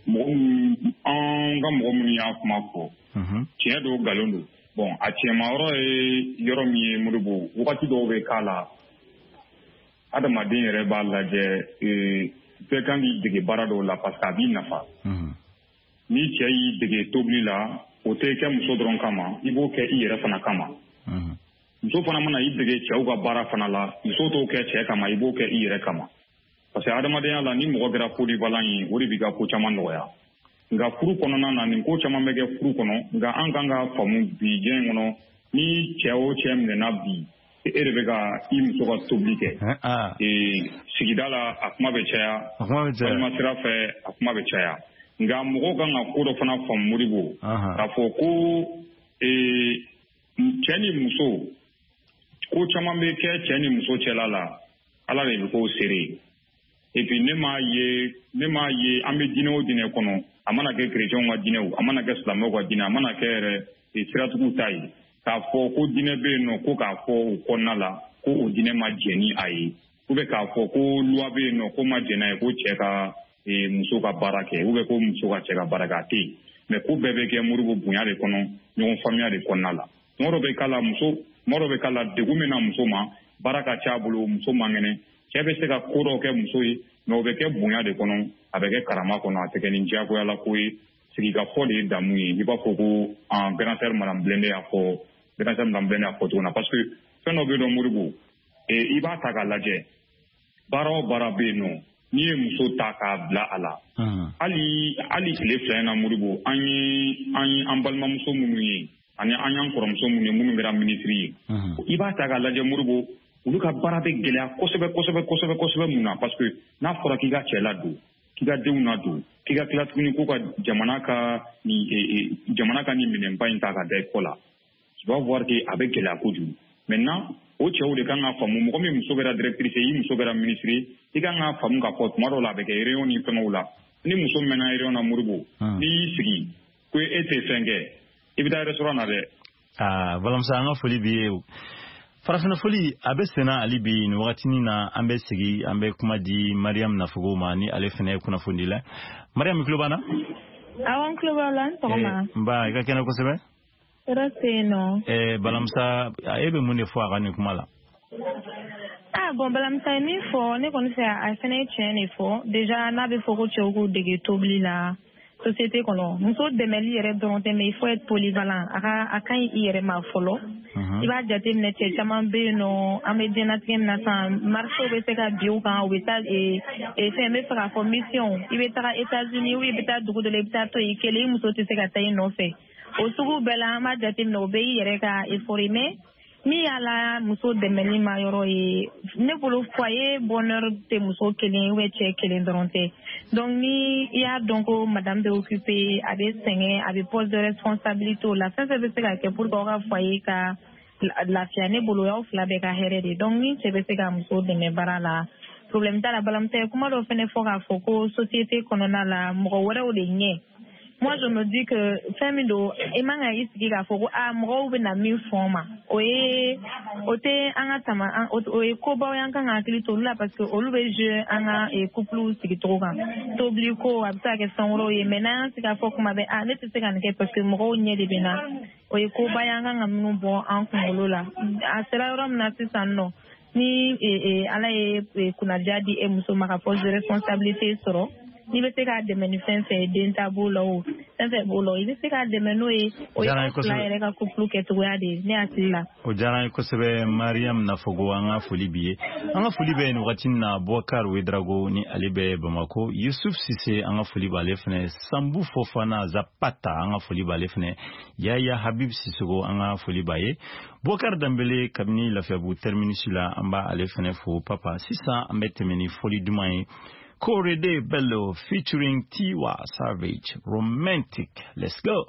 mɔgɔ min, an ka mɔgɔ minnu y'a kuma fɔ, tiɲɛ don, nkalon don. Bon, a tiɲɛma yɔrɔ ye yɔrɔ min ye, Modibo, wagati dɔw bɛ k'a la, adamaden yɛrɛ b'a lajɛ, bɛɛ kan k'i dege baara dɔw la parce que a b'i nafa. Ni cɛ y'i dege tobili la, o tɛ kɛ muso dɔrɔn kama, i b'o kɛ i yɛrɛ fana kama. Muso fana mana i dege cɛw ka baara fana la, muso t'o kɛ cɛ kama, i b'o kɛ i yɛrɛ kama. Parce que adamadenya la, ni mɔgɔ kɛra polyvalent ye, o de b'i ka ko caman nɔgɔya. Nka furu kɔnɔna na, nin ko caman bɛ kɛ furu kɔnɔ. Nka an kan ka faamu bi diɲɛ in kɔnɔ, ni cɛ o cɛ minɛna bi, e de bɛ ka i muso ka tobili kɛ sigida la, a kuma bɛ caya, walima sira fɛ, a kuma bɛ caya. Nka mɔgɔw kan ka ko dɔ fana faamu, Modibo, k'a fɔ ko cɛ ni muso, ko caman bɛ kɛ cɛ ni muso cɛla la, Ala de bɛ k'o seere. Et puis ne m'a ye an bɛ diinɛ o diinɛ kɔnɔ, a mana kɛ chrétienw ka diinɛ o, a mana kɛ silamɛw ka diinɛ, a mana kɛ yɛrɛ siratigiw ta ye, k'a fɔ ko diinɛ bɛ yen nɔ, ko k'a fɔ o kɔnɔna la ko o diinɛ ma jɛn ni a ye, ou bien k'a fɔ ko loi bɛ yen nɔ ko ma jɛn n'a ye ko cɛ ka muso ka baara kɛ, ou bien ko muso ka cɛ ka baara kɛ, a tɛ yen. Mais ko bɛɛ bɛ kɛ, Modibo, bonya de kɔnɔ, ɲɔgɔn faamuya de kɔnɔna la. Tuma dɔ bɛ k'a la muso, tuma dɔ bɛ k'a la degun bɛ na muso ma, baara ka ca a bolo, muso man kɛnɛ, cɛ bɛ se ka ko dɔw kɛ muso ye, mais o bɛ kɛ bonya de kɔnɔ, a bɛ kɛ karama kɔnɔ, a tɛ kɛ ni diyagoyala ko ye. Sigikafɔ de ye damu ye. I b'a fɔ ko en grand sœur Madame Blende y'a fɔ, grand sœur Madame Blende y'a fɔ cogo min na, parce que fɛn dɔ bɛ yen nɔ, Modibo, i b'a ta k'a lajɛ, baara o baara bɛ yen nɔ, n'i ye muso ta k'a bila a la, hali tile 2 in na, Modibo, an ye an balimamuso minnu ye ani an y'an kɔrɔmuso minnu ye, minnu kɛra minisiri ye, i b'a ta k'a lajɛ, Modibo, olu ka baara bɛ gɛlɛya kosɛbɛ kosɛbɛ kosɛbɛ kosɛbɛ. Mun na? Parce que n'a fɔra k'i ka cɛ ladon, k'i ka denw ladon, k'i ka tila tuguni ko ka jamana ka nin minɛnba in ta ka da i kɔ la, tu vas voir que a bɛ gɛlɛya kojugu. Maintenant o cɛw de kan ka faamu, mɔgɔ min muso kɛra directrice ye, i muso kɛra ministre ye, i kan ka faamu k'a fɔ tuma dɔw la a bɛ kɛ réunion ni fɛngɛw la. Ni muso mɛnna réunion na, Modibo, n'i y'i sigi ko e tɛ fɛn kɛ, i bɛ taa restaurant na dɛ. Aa Balamusa, an ka foli b'i ye. Farafina foli a bɛ senna hali bi nin wagatinin na. An bɛ sigi, an bɛ kuma di Mariam Nafogo ma ni ale fana ye kunnafonidi la. Mariam, i tulo b'an na? Awɔ, n tulo b'aw la. N sɔgɔma. Nba, i ka kɛnɛ kosɛbɛ. Tɔɔrɔ tɛ yen nɔ. Balamusa, e bɛ mun de fɔ a ka nin kuma la? Ah bon, Balamisa ye min fɔ, ne kɔni fɛ, a fɛnɛ ye tiɲɛ de fɔ. Déjà, n'a bɛ fɔ ko cɛw k'u dege tobili la société kɔnɔ, muso dɛmɛli yɛrɛ dɔrɔn tɛ, mais il faut être polyvalent. A ka a ka ɲi i yɛrɛ ma fɔlɔ. I b'a jateminɛ, cɛ caman bɛ yen nɔ, an bɛ diɲɛlatigɛ min na sisan, marché bɛ se ka bin u kan, u bɛ taa fɛn, n bɛ fɛ k'a fɔ mission, i bɛ taga États-Unis ou i bɛ taa dugu dɔ la, i bɛ taa to yen i kelen, i muso tɛ se ka taa i nɔfɛ. O sugu bɛɛ la, an b'a jateminɛ, o bɛɛ y'i yɛrɛ ka effort ye. Mais min y'a la muso dɛmɛli ma yɔrɔ ye, ne bolo, foyer bonheur tɛ muso kelen ou bien cɛ kelen dɔrɔn tɛ. Donc ni i y'a dɔn ko madame bɛ occupé, a bɛ sɛgɛn, a bɛ poste de responsabilité la, fɛn fɛn bɛ se ka kɛ pour que aw ka foyer ka lafiya, ne bolo, y'aw fila bɛɛ ka hɛrɛ de. Donc ni cɛ bɛ se ka muso dɛmɛ baara la, problème t'a la. Balamisa ye kuma dɔ fɛnɛ fɔ k'a fɔ ko société kɔnɔna la, mɔgɔ wɛrɛw de ɲɛ. Moi, je me dis que fɛn min don, i man ka i sigi k'a fɔ ko a mɔgɔw bɛ na min fɔ n ma, o ye o tɛ an ka tama, o ye kobaw ye, an kan ka hakili to olu la, parce que olu bɛ jouer an ka couple sigicogo kan. Tobili ko, a bɛ se ka kɛ fɛn wɛrɛw ye, mais n'an y'an sigi k'a fɔ kuma bɛɛ, a ne tɛ se ka nin kɛ parce que mɔgɔw ɲɛ de bɛ n na, o ye koba ye an kan ka minnu bɔ an kunkolo la. A sera yɔrɔ min na sisan nɔ, ni Ala ye kunnadiya di e muso ma ka poste de responsabilité sɔrɔ, n'i bɛ se k'a dɛmɛ ni fɛn fɛn ye, den ta b'o la, o fɛn fɛn b'o la, i bɛ se k'a dɛmɛ n'o ye, o ye aw fila yɛrɛ ka couple kɛcogoya de ye, ne hakili la. O diyara an ye kosɛbɛ, Mariam Nafogo, an ka foli b'i ye. An ka foli bɛ nin wagati in na Boubacar Ouedraogo, ni ale bɛ Bamako, Yusuf Sise, an ka foli b'ale fɛnɛ, Sambu Fofana Zapata, an ka foli b'ale fɛnɛ, Yaya Habib Sisoko, an ka foli b'a ye, Boubacar Dambele kabini Lafiyabugu terminus la, an b'ale fɛnɛ fo. Papa, sisan an bɛ tɛmɛ ni foli duman ye. Korede Bello featuring Tiwa Savage, Romantic. Let's go.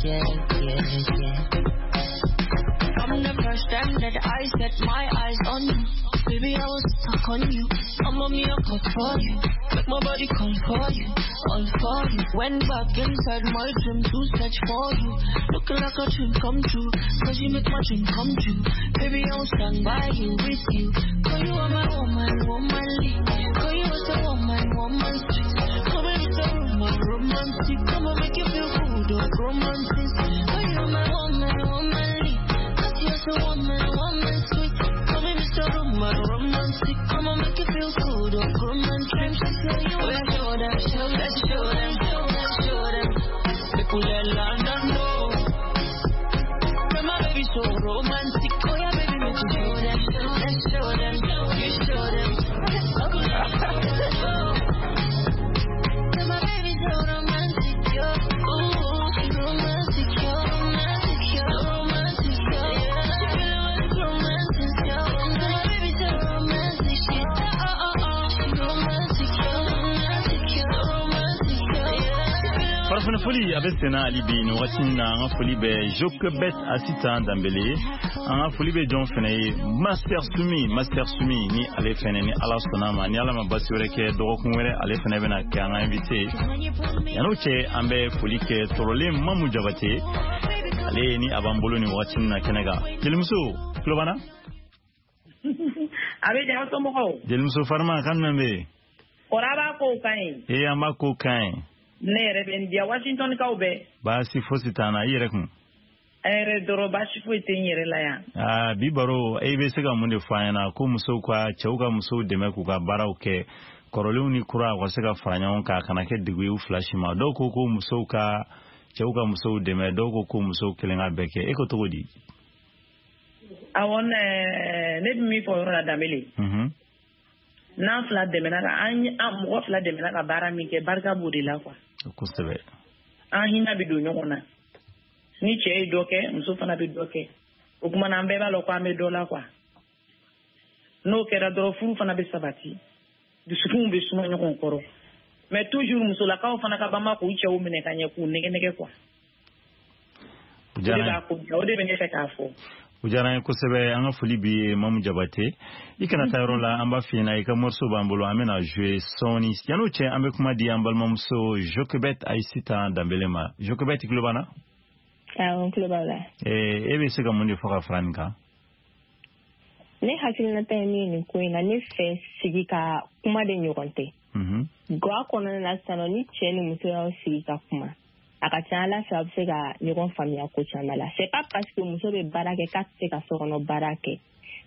Yeah. From the first time that I set my eyes on you, baby, I was stuck on you. I'm on me, I call for you. Make my body call for you, all for you. Went back inside my dream to search for you. Looking like a dream come true, 'cause you make my dream come true. Baby, I will stand by you, with you. 'Cause you are my woman, womanly. 'Cause you are the woman, woman street. Come and it's a woman, romantic. Come and make you feel good, oh, romantic. 'Cause you are my woman, womanly. 'Cause you're the woman, woman sweet. Come and it's a woman, romantic. Come and make you feel good, oh, romantic. Oh, yeah, show them, show them, show them, show them. People let London know. But my baby so romantic. Oh, yeah, baby, make you show them, show them, you show them. But my baby so romantic, yo. Ooh, romantic, yo, romantic, yo, romantic, yo. She feeling when it's romantic, yo. But my baby so romantic, she oh oh oh, she romantic, yo, romantic, yo, romantic, yo. Farafina foli a bɛ senna hali bi nin wagati in na. An ka foli bɛ Jokebet Asitan Danbele ye. An ka foli bɛ jɔn fɛnɛ ye? Master Sumi, Master Sumi, ni ale fɛnɛ, ni Ala sɔnna ma, ni Ala ma basi wɛrɛ kɛ, dɔgɔkun wɛrɛ ale fɛnɛ bɛna kɛ an ka invité ye. Yan'o cɛ, an bɛ foli kɛ Tɔrɔlen Mamu Jabate, ale ni a b'an bolo nin wagati in na kɛnɛ kan. Jelimuso tulo b'an na? A bɛ diya, somɔgɔw? Jelimuso Farima, kan jumɛn bɛ yen? Kɔrɔ, a b'a kow ka ɲi? Ee, an b'a ko kan ɲi. Ne yɛrɛ bɛ n diya, Washington kaw bɛɛ. Baasi fosi t'an na, i yɛrɛ kun? Hɛrɛ dɔrɔn, baasi foyi tɛ n yɛrɛ la yan. Aa, bi baro, e bɛ se ka mun de fɔ an ɲɛna ko musow ka cɛw ka musow dɛmɛ k'u ka baaraw kɛ, kɔrɔlenw ni kura, u ka se ka fara ɲɔgɔn kan, a kana kɛ degun ye u fila si ma? Dɔw ko ko musow ka cɛw ka musow dɛmɛ, dɔw ko ko musow kelen ka bɛɛ kɛ. E ko cogo di? Awɔ, ne bɛ min fɔ o yɔrɔ la, Danbele, n'an fila dɛmɛna ka an mɔgɔ fila dɛmɛna ka baara min kɛ, barika b'o de la quoi. Kosɛbɛ. An hinɛ bɛ don ɲɔgɔn na. Ni cɛ ye dɔ kɛ, muso fana bɛ dɔ kɛ, o tuma na an bɛɛ b'a lɔn ko an bɛ dɔ la quoi. N'o kɛra dɔrɔn, furu fana bɛ sabati, dusukunw bɛ suma ɲɔgɔn kɔrɔ. Mais toujours musolakaw fana ka banba k'u cɛw minɛ ka ɲɛ, k'u nɛgɛ nɛgɛ quoi. O de b'a ko o de bɛ ne fɛ k'a fɔ. O diyara an ye kosɛbɛ. An ka foli b'i ye, Mamu Jabate. I kana taa yɔrɔ la, an b'a f'i ɲɛna, i ka morceau b'an bolo, an bɛna jouer sɔɔni. Yan'o cɛ, an bɛ kuma di an balimamuso Jokebet Ayisita Danbele ma. Jokebet, i tulo b'an na? Awɔ, n tulo b'aw la. E bɛ se ka mun de fɔ ka fara nin kan? Ne hakilinata ye min ye nin ko in na, ne fɛ, sigi ka kuma de ɲɔgɔn tɛ. Ga kɔnɔna na sisan nɔ, ni cɛ ni muso y'aw sigi ka kuma, A ka ca Ala fɛ, aw bɛ se ka ɲɔgɔn faamuya ko caman la. C'est pas parce que muso bɛ baara kɛ k'a tɛ se ka sokɔnɔ baara kɛ.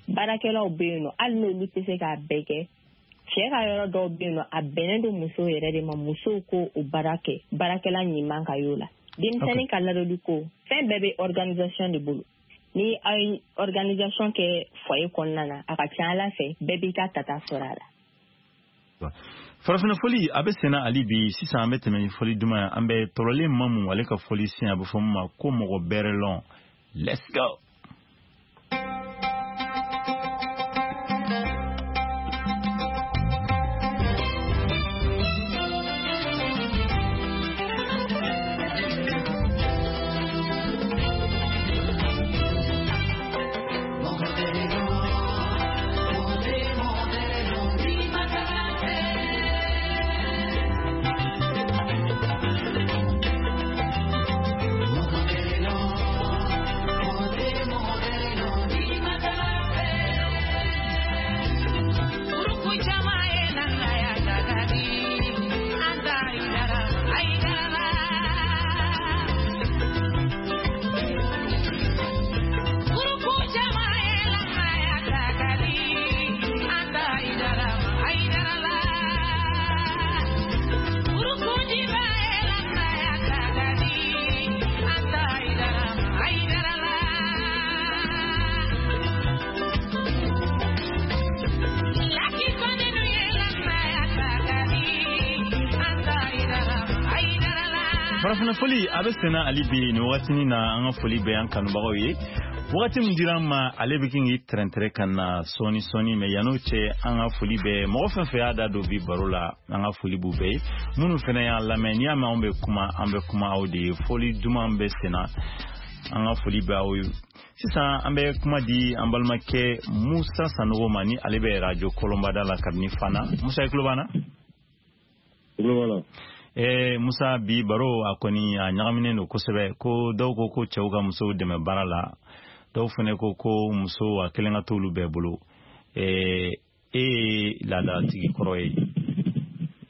Baarakɛlaw bɛ yen nɔ, hali n'olu tɛ se k'a bɛɛ kɛ, cɛ ka yɔrɔ dɔw bɛ yen nɔ, a bɛnnen don musow yɛrɛ de ma, musow ko o baara kɛ, baarakɛla ɲuman ka y'o la. Denmisɛnnin ka ladonni ko, fɛn bɛɛ bɛ organisation de bolo. Ni aw ye organisation kɛ foyer kɔnɔna na, a ka ca Ala fɛ, bɛɛ b'i ka tata sɔrɔ a la. Farafinna fɔli a bɛ senna hali bi. Sisan an bɛ tɛmɛ ni fɔli duman ye. An bɛ tɔrɔlen Mamu, ale ka fɔli sen, a bɛ fɔ min ma ko mɔgɔ bɛrɛ lɔn. Let's go. Farafinna fɔli a bɛ senna hali bi nin wagatinin na. An ka foli bɛ an kanubagaw ye. Wagati min dira an ma, ale bɛ kin k'i tɛrɛntɛrɛ ka na sɔɔni sɔɔni, mɛ yann'o cɛ, an ka foli bɛ mɔgɔ fɛn fɛn y'a da don bi baro la, an ka foli b'u bɛɛ ye. Minnu fɛnɛ y'an lamɛn, n'i y'a mɛn anw bɛ kuma, an bɛ kuma aw de ye. Fɔli duman bɛ senna, an ka foli bɛ aw ye. Sisan an bɛ kuma di an balimakɛ Musa Sanogo ma, ni ale bɛ radio Kɔlɔnbada la kabini Fana. Musa, i tulo b'an na? Tulo b'a la. Musa, bi baro a kɔni a ɲagaminen don kosɛbɛ, ko dɔw ko ko cɛw ka musow dɛmɛ baara la, dɔw fɛnɛ ko ko muso a kelen ka t'olu bɛɛ bolo. E ye laadatigi kɔrɔ ye,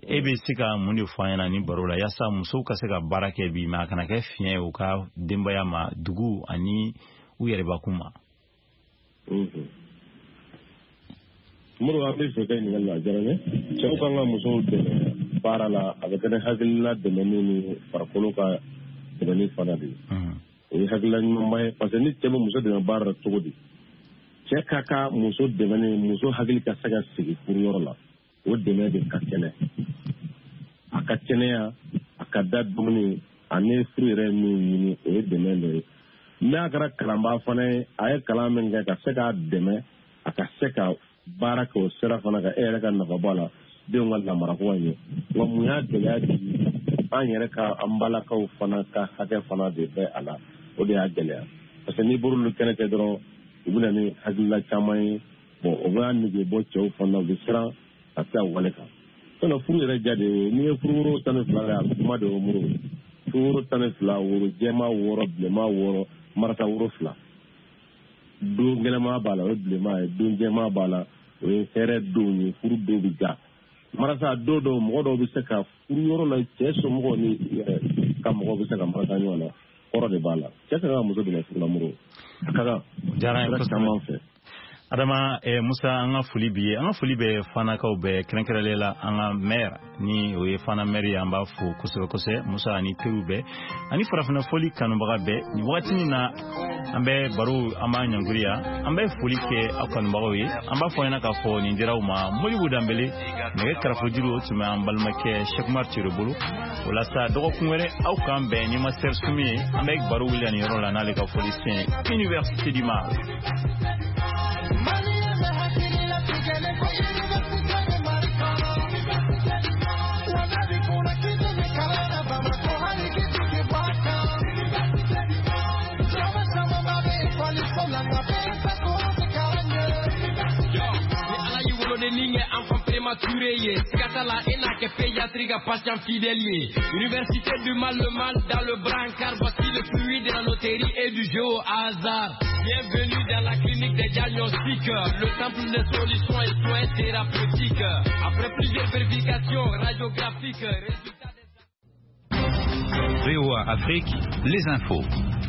e bɛ se ka mun de fɔ an ɲɛna ni baro la, yaasa musow ka se ka baara kɛ bi, mɛ a kana kɛ fiɲɛ ye u ka denbaya ma, dugu ani u yɛrɛbakun ma? Moro, an bɛ fɛ ka ɲininkali la, a diyara n ye. Cɛw kan ka musow dɛmɛ baara la, a bɛ kɛ ni hakilina dɛmɛni ni farikolo ka dɛmɛni fana de ye. O ye hakilina ɲumanba ye, parce que ni cɛ bɛ muso dɛmɛ baara la cogo di, cɛ ka ka muso dɛmɛ ni muso hakili ka se ka sigi furuyɔrɔ la, o dɛmɛ de ka kɛnɛ, a ka kɛnɛya, a ka da dumuni ani furu yɛrɛ min ɲini, o ye dɛmɛ dɔ ye. N'a kɛra kalanbaa fana ye, a ye kalan min kɛ, ka se k'a dɛmɛ a ka se ka baara kɛ o sira fana kan, e yɛrɛ ka nafa bɔ a la, denw ka lamarako ka ɲɛ. Nka mun y'a gɛlɛya di? An yɛrɛ ka an balakaw fana ka hakɛ fana de bɛ a la, o de y'a gɛlɛya, parce que n'i bɔr'olu kɛnɛ kɛ dɔrɔn, u bɛ na ni hakilila caman ye. Bon, o b'a nege bɔ cɛw fana, u bɛ siran ka se a wale kan. Sinon furu yɛrɛ ja de ye, n'i ye furuworo 12 kɛ, a bɛ kuma de o muru. Furuworo 12, woro jɛman 6, bilenman 6, marata woro 2. Don gɛlɛman b'a la, o ye bilenman ye, don jɛman b'a la, o ye hɛrɛ don ye, furu don bɛ ja. Marasa don dɔw, mɔgɔ dɔw bɛ se ka furu yɔrɔ la, cɛ somɔgɔw ni ka mɔgɔw bɛ se ka marasa ɲɔgɔn na, kɔrɔ de b'a la. Cɛ ka kan ka muso dɛmɛ furu la, Moro, a ka kan. Diyara n ye kosɛbɛ. Caman fɛ. Adama, Musa, an ka foli b'i ye. An ka foli bɛ Fanakaw bɛɛ, kɛrɛnkɛrɛnlen la an ka maire, ni o ye Fana maire ye, an b'a fo kosɛbɛ kosɛbɛ. Musa ani teriw bɛɛ ani farafinna fɔli kanubaga bɛɛ, nin wagati in na an bɛ baro, an b'a ɲangiriya, an bɛ foli kɛ aw kanubagaw ye. An b'a fɔ ɲɛna k'a fɔ nin dira aw ma Modibo Danbele, nɛgɛ karafojuru o tun bɛ an balimakɛ Cheikh Ture bolo. O la sa, dɔgɔkun wɛrɛ aw k'an bɛn ni Master Sumi ye. An bɛ baro wuli nin yɔrɔ la n'ale ka fɔli sen Université du Mali. Enfant prématuré, Skatala et n'a que pédiatrie, patient fidèle. Université du mal, le mal dans le brancard. Voici le fruit de la loterie et du jeu au hasard. Bienvenue dans la clinique des diagnostics, le temple des solutions et soins thérapeutiques. Après plusieurs vérifications radiographiques, résultats des... VOA Afrique, les infos.